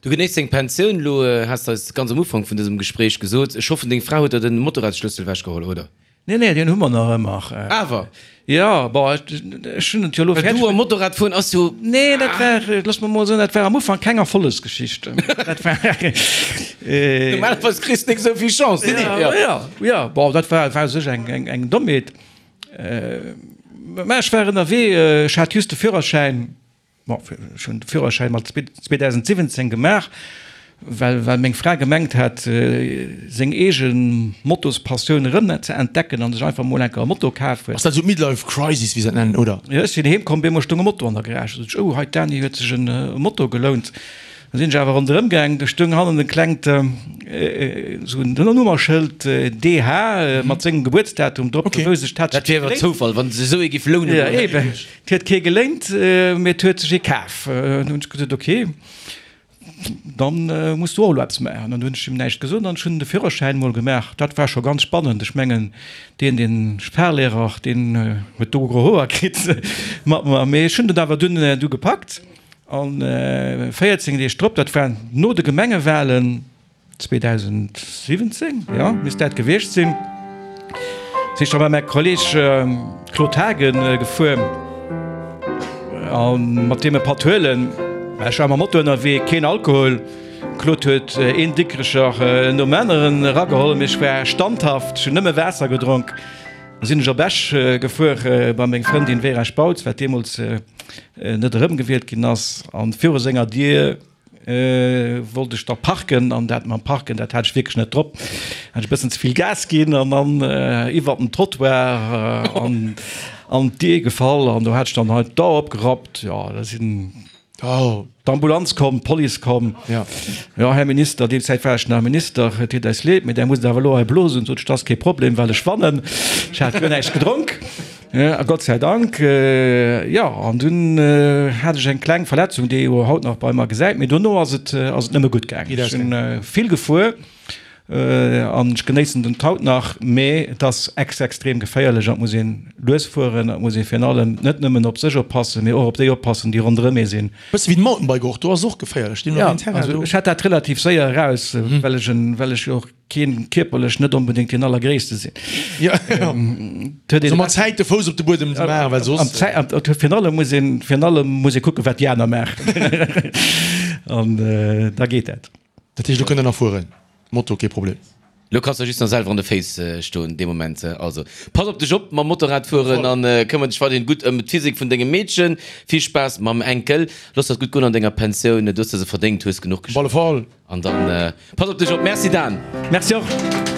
Du genéiss deng Pensioun elo, has de eis ganz am Ufank vun dësem Gespréich gesot. Ech hoffen, deng Fra huet der den Motorradsschlëssel ewechgeholl, oder? Nee, nee, deen hu mer nach ëmmer. Awer? Jo, bon, ech hunn et jo elo Well du a Motorrad fueren ass jo. Nee, dat war, looss mer mol soen, dat war am Ufank keng Erfollegsgeschicht. Dat war. Normalerweis kriss de nik esou vill Chance. Nee, nee, jo, jo, bon, dat war, war u sech eng, eng, eng Dommheet. Mä ech war ënnerwee, ech hat just de Führerschäin. Bon, ech hunn de Führerschäin mat 2017 gemaach, well well meng Fra gemengt hat, seng eege Motospassioun erëm ze entdecken an sech einfach mol enker e Moto kaf huet. Ass dat esou d'Midlife Crisis, wéi se dat nennen, oder? Jo, ech sinn heem komm, bemol stoung e Moto an der Garage. Da sot ech, Oh, hei d'Dani huet sech e Moto gelount. Da sinn ech awer ronderëm gaang, do stoung hannen e klengt esou en Nummerschëld DH mat sengem Gebuertsdatum drop. Da wousst ech, dat hat sech Dat wier awer Zoufall, wann se esou ee giff lounen. Jo, eben. Et huet kee geléint, mee et huet sech ee kaf. An hunn ech gesot, ok, dann muss du och elo eppes maachen. An du hunn ech him näischt gesot an ech hunn de Führerschäin mol gemaach. Dat war scho ganz spannend. Ech mengen, deen, dee Fahrlehrer, deen huet do gro Hoer kritt mat mer. Mee ech hunn dat awer dunn du gepackt. An 14 Deeg drop, dat war no de Gemengewahlen, 2017, jo, misst dat gewiescht sinn, sinn ech da bei mäi Kolleg Claude Haagen gefuer a mat deem e Patt huelen. Ech war mam Moto ënnerwee, keen Alkohol. Claude huet een Dikrecher nom aneren erageholl, mee ech war standhaft, ech hunn nëmme Waasser gedronk. Da sinn ech op Esch gefuer bei meng Frëndin Vera Spautz, wat deemools net erëmgewielt ginn ass, an viru senger Dier Wollt ech da parken an dat mam Parken, dat hat ech wierklech net drop. Hat ech e bëssen ze vill Gas ginn an dann iwwert den Trottoir an an d'Dier gefall an do hat ech dann hei d'Dauer opgerappt. Jo, da sinn d'Ambulanz komm, d'Police komm. Jo, Här Minister, déi Zäit war ech nach Minister, et deet eis leed, mee där musst awer elo hei blosen. Sot ech, dat ass kee Problem, well ech wannen. Ech hat guer näischt gedronk. A Gott sei Dank, jo, an dunn hat ech eng kleng Verletzung, déi ee jo haut nach bei mer gesäit, mee dono ass et, ass et nëmme gutt gaangen. Ech sinn vill gefuer. An ech genéissen den haut nach, mee et ass ex extrem geféierlech an et muss een lues fueren an et muss ee virun allem net nëmmen op sech oppassen, mee och op déi oppassen, déi ronderëm ee sinn. Bësse wéi den Mountainbike och, do ass et och geféierlech, deemno Ja, wéi en Terrain also do. ech hat dat relativ séier eraus, well ech en, well ech jo och keen kierperlech net onbedéngt deen allergréisste sinn. Ja, ja. Et huet een Also mat Zäit de Fouss op de Buedem ze maachen, well Am soss. Zäit, am, et huet virun allem muss een, virun allem muss ee kucken, wat déi aner maachen an da geet dat. Dat heescht, lo kënnt der nach fueren? Moto, kee Problem. Lo kanns de just nach selwer an de Féiss stoen dee Moment. Also pass op dech op mam Motorrad fueren an këmmer dech weiderhin gutt ëm d'Physik vun dengem Meedchen. Vill Spaass mam Enkel. Looss der et gutt goen an denger Pensioun. Du hues der se verdéngt, hues genuch Op alle geschafft. Fall. An dann pass op dech op. Merci Dan. Merci och.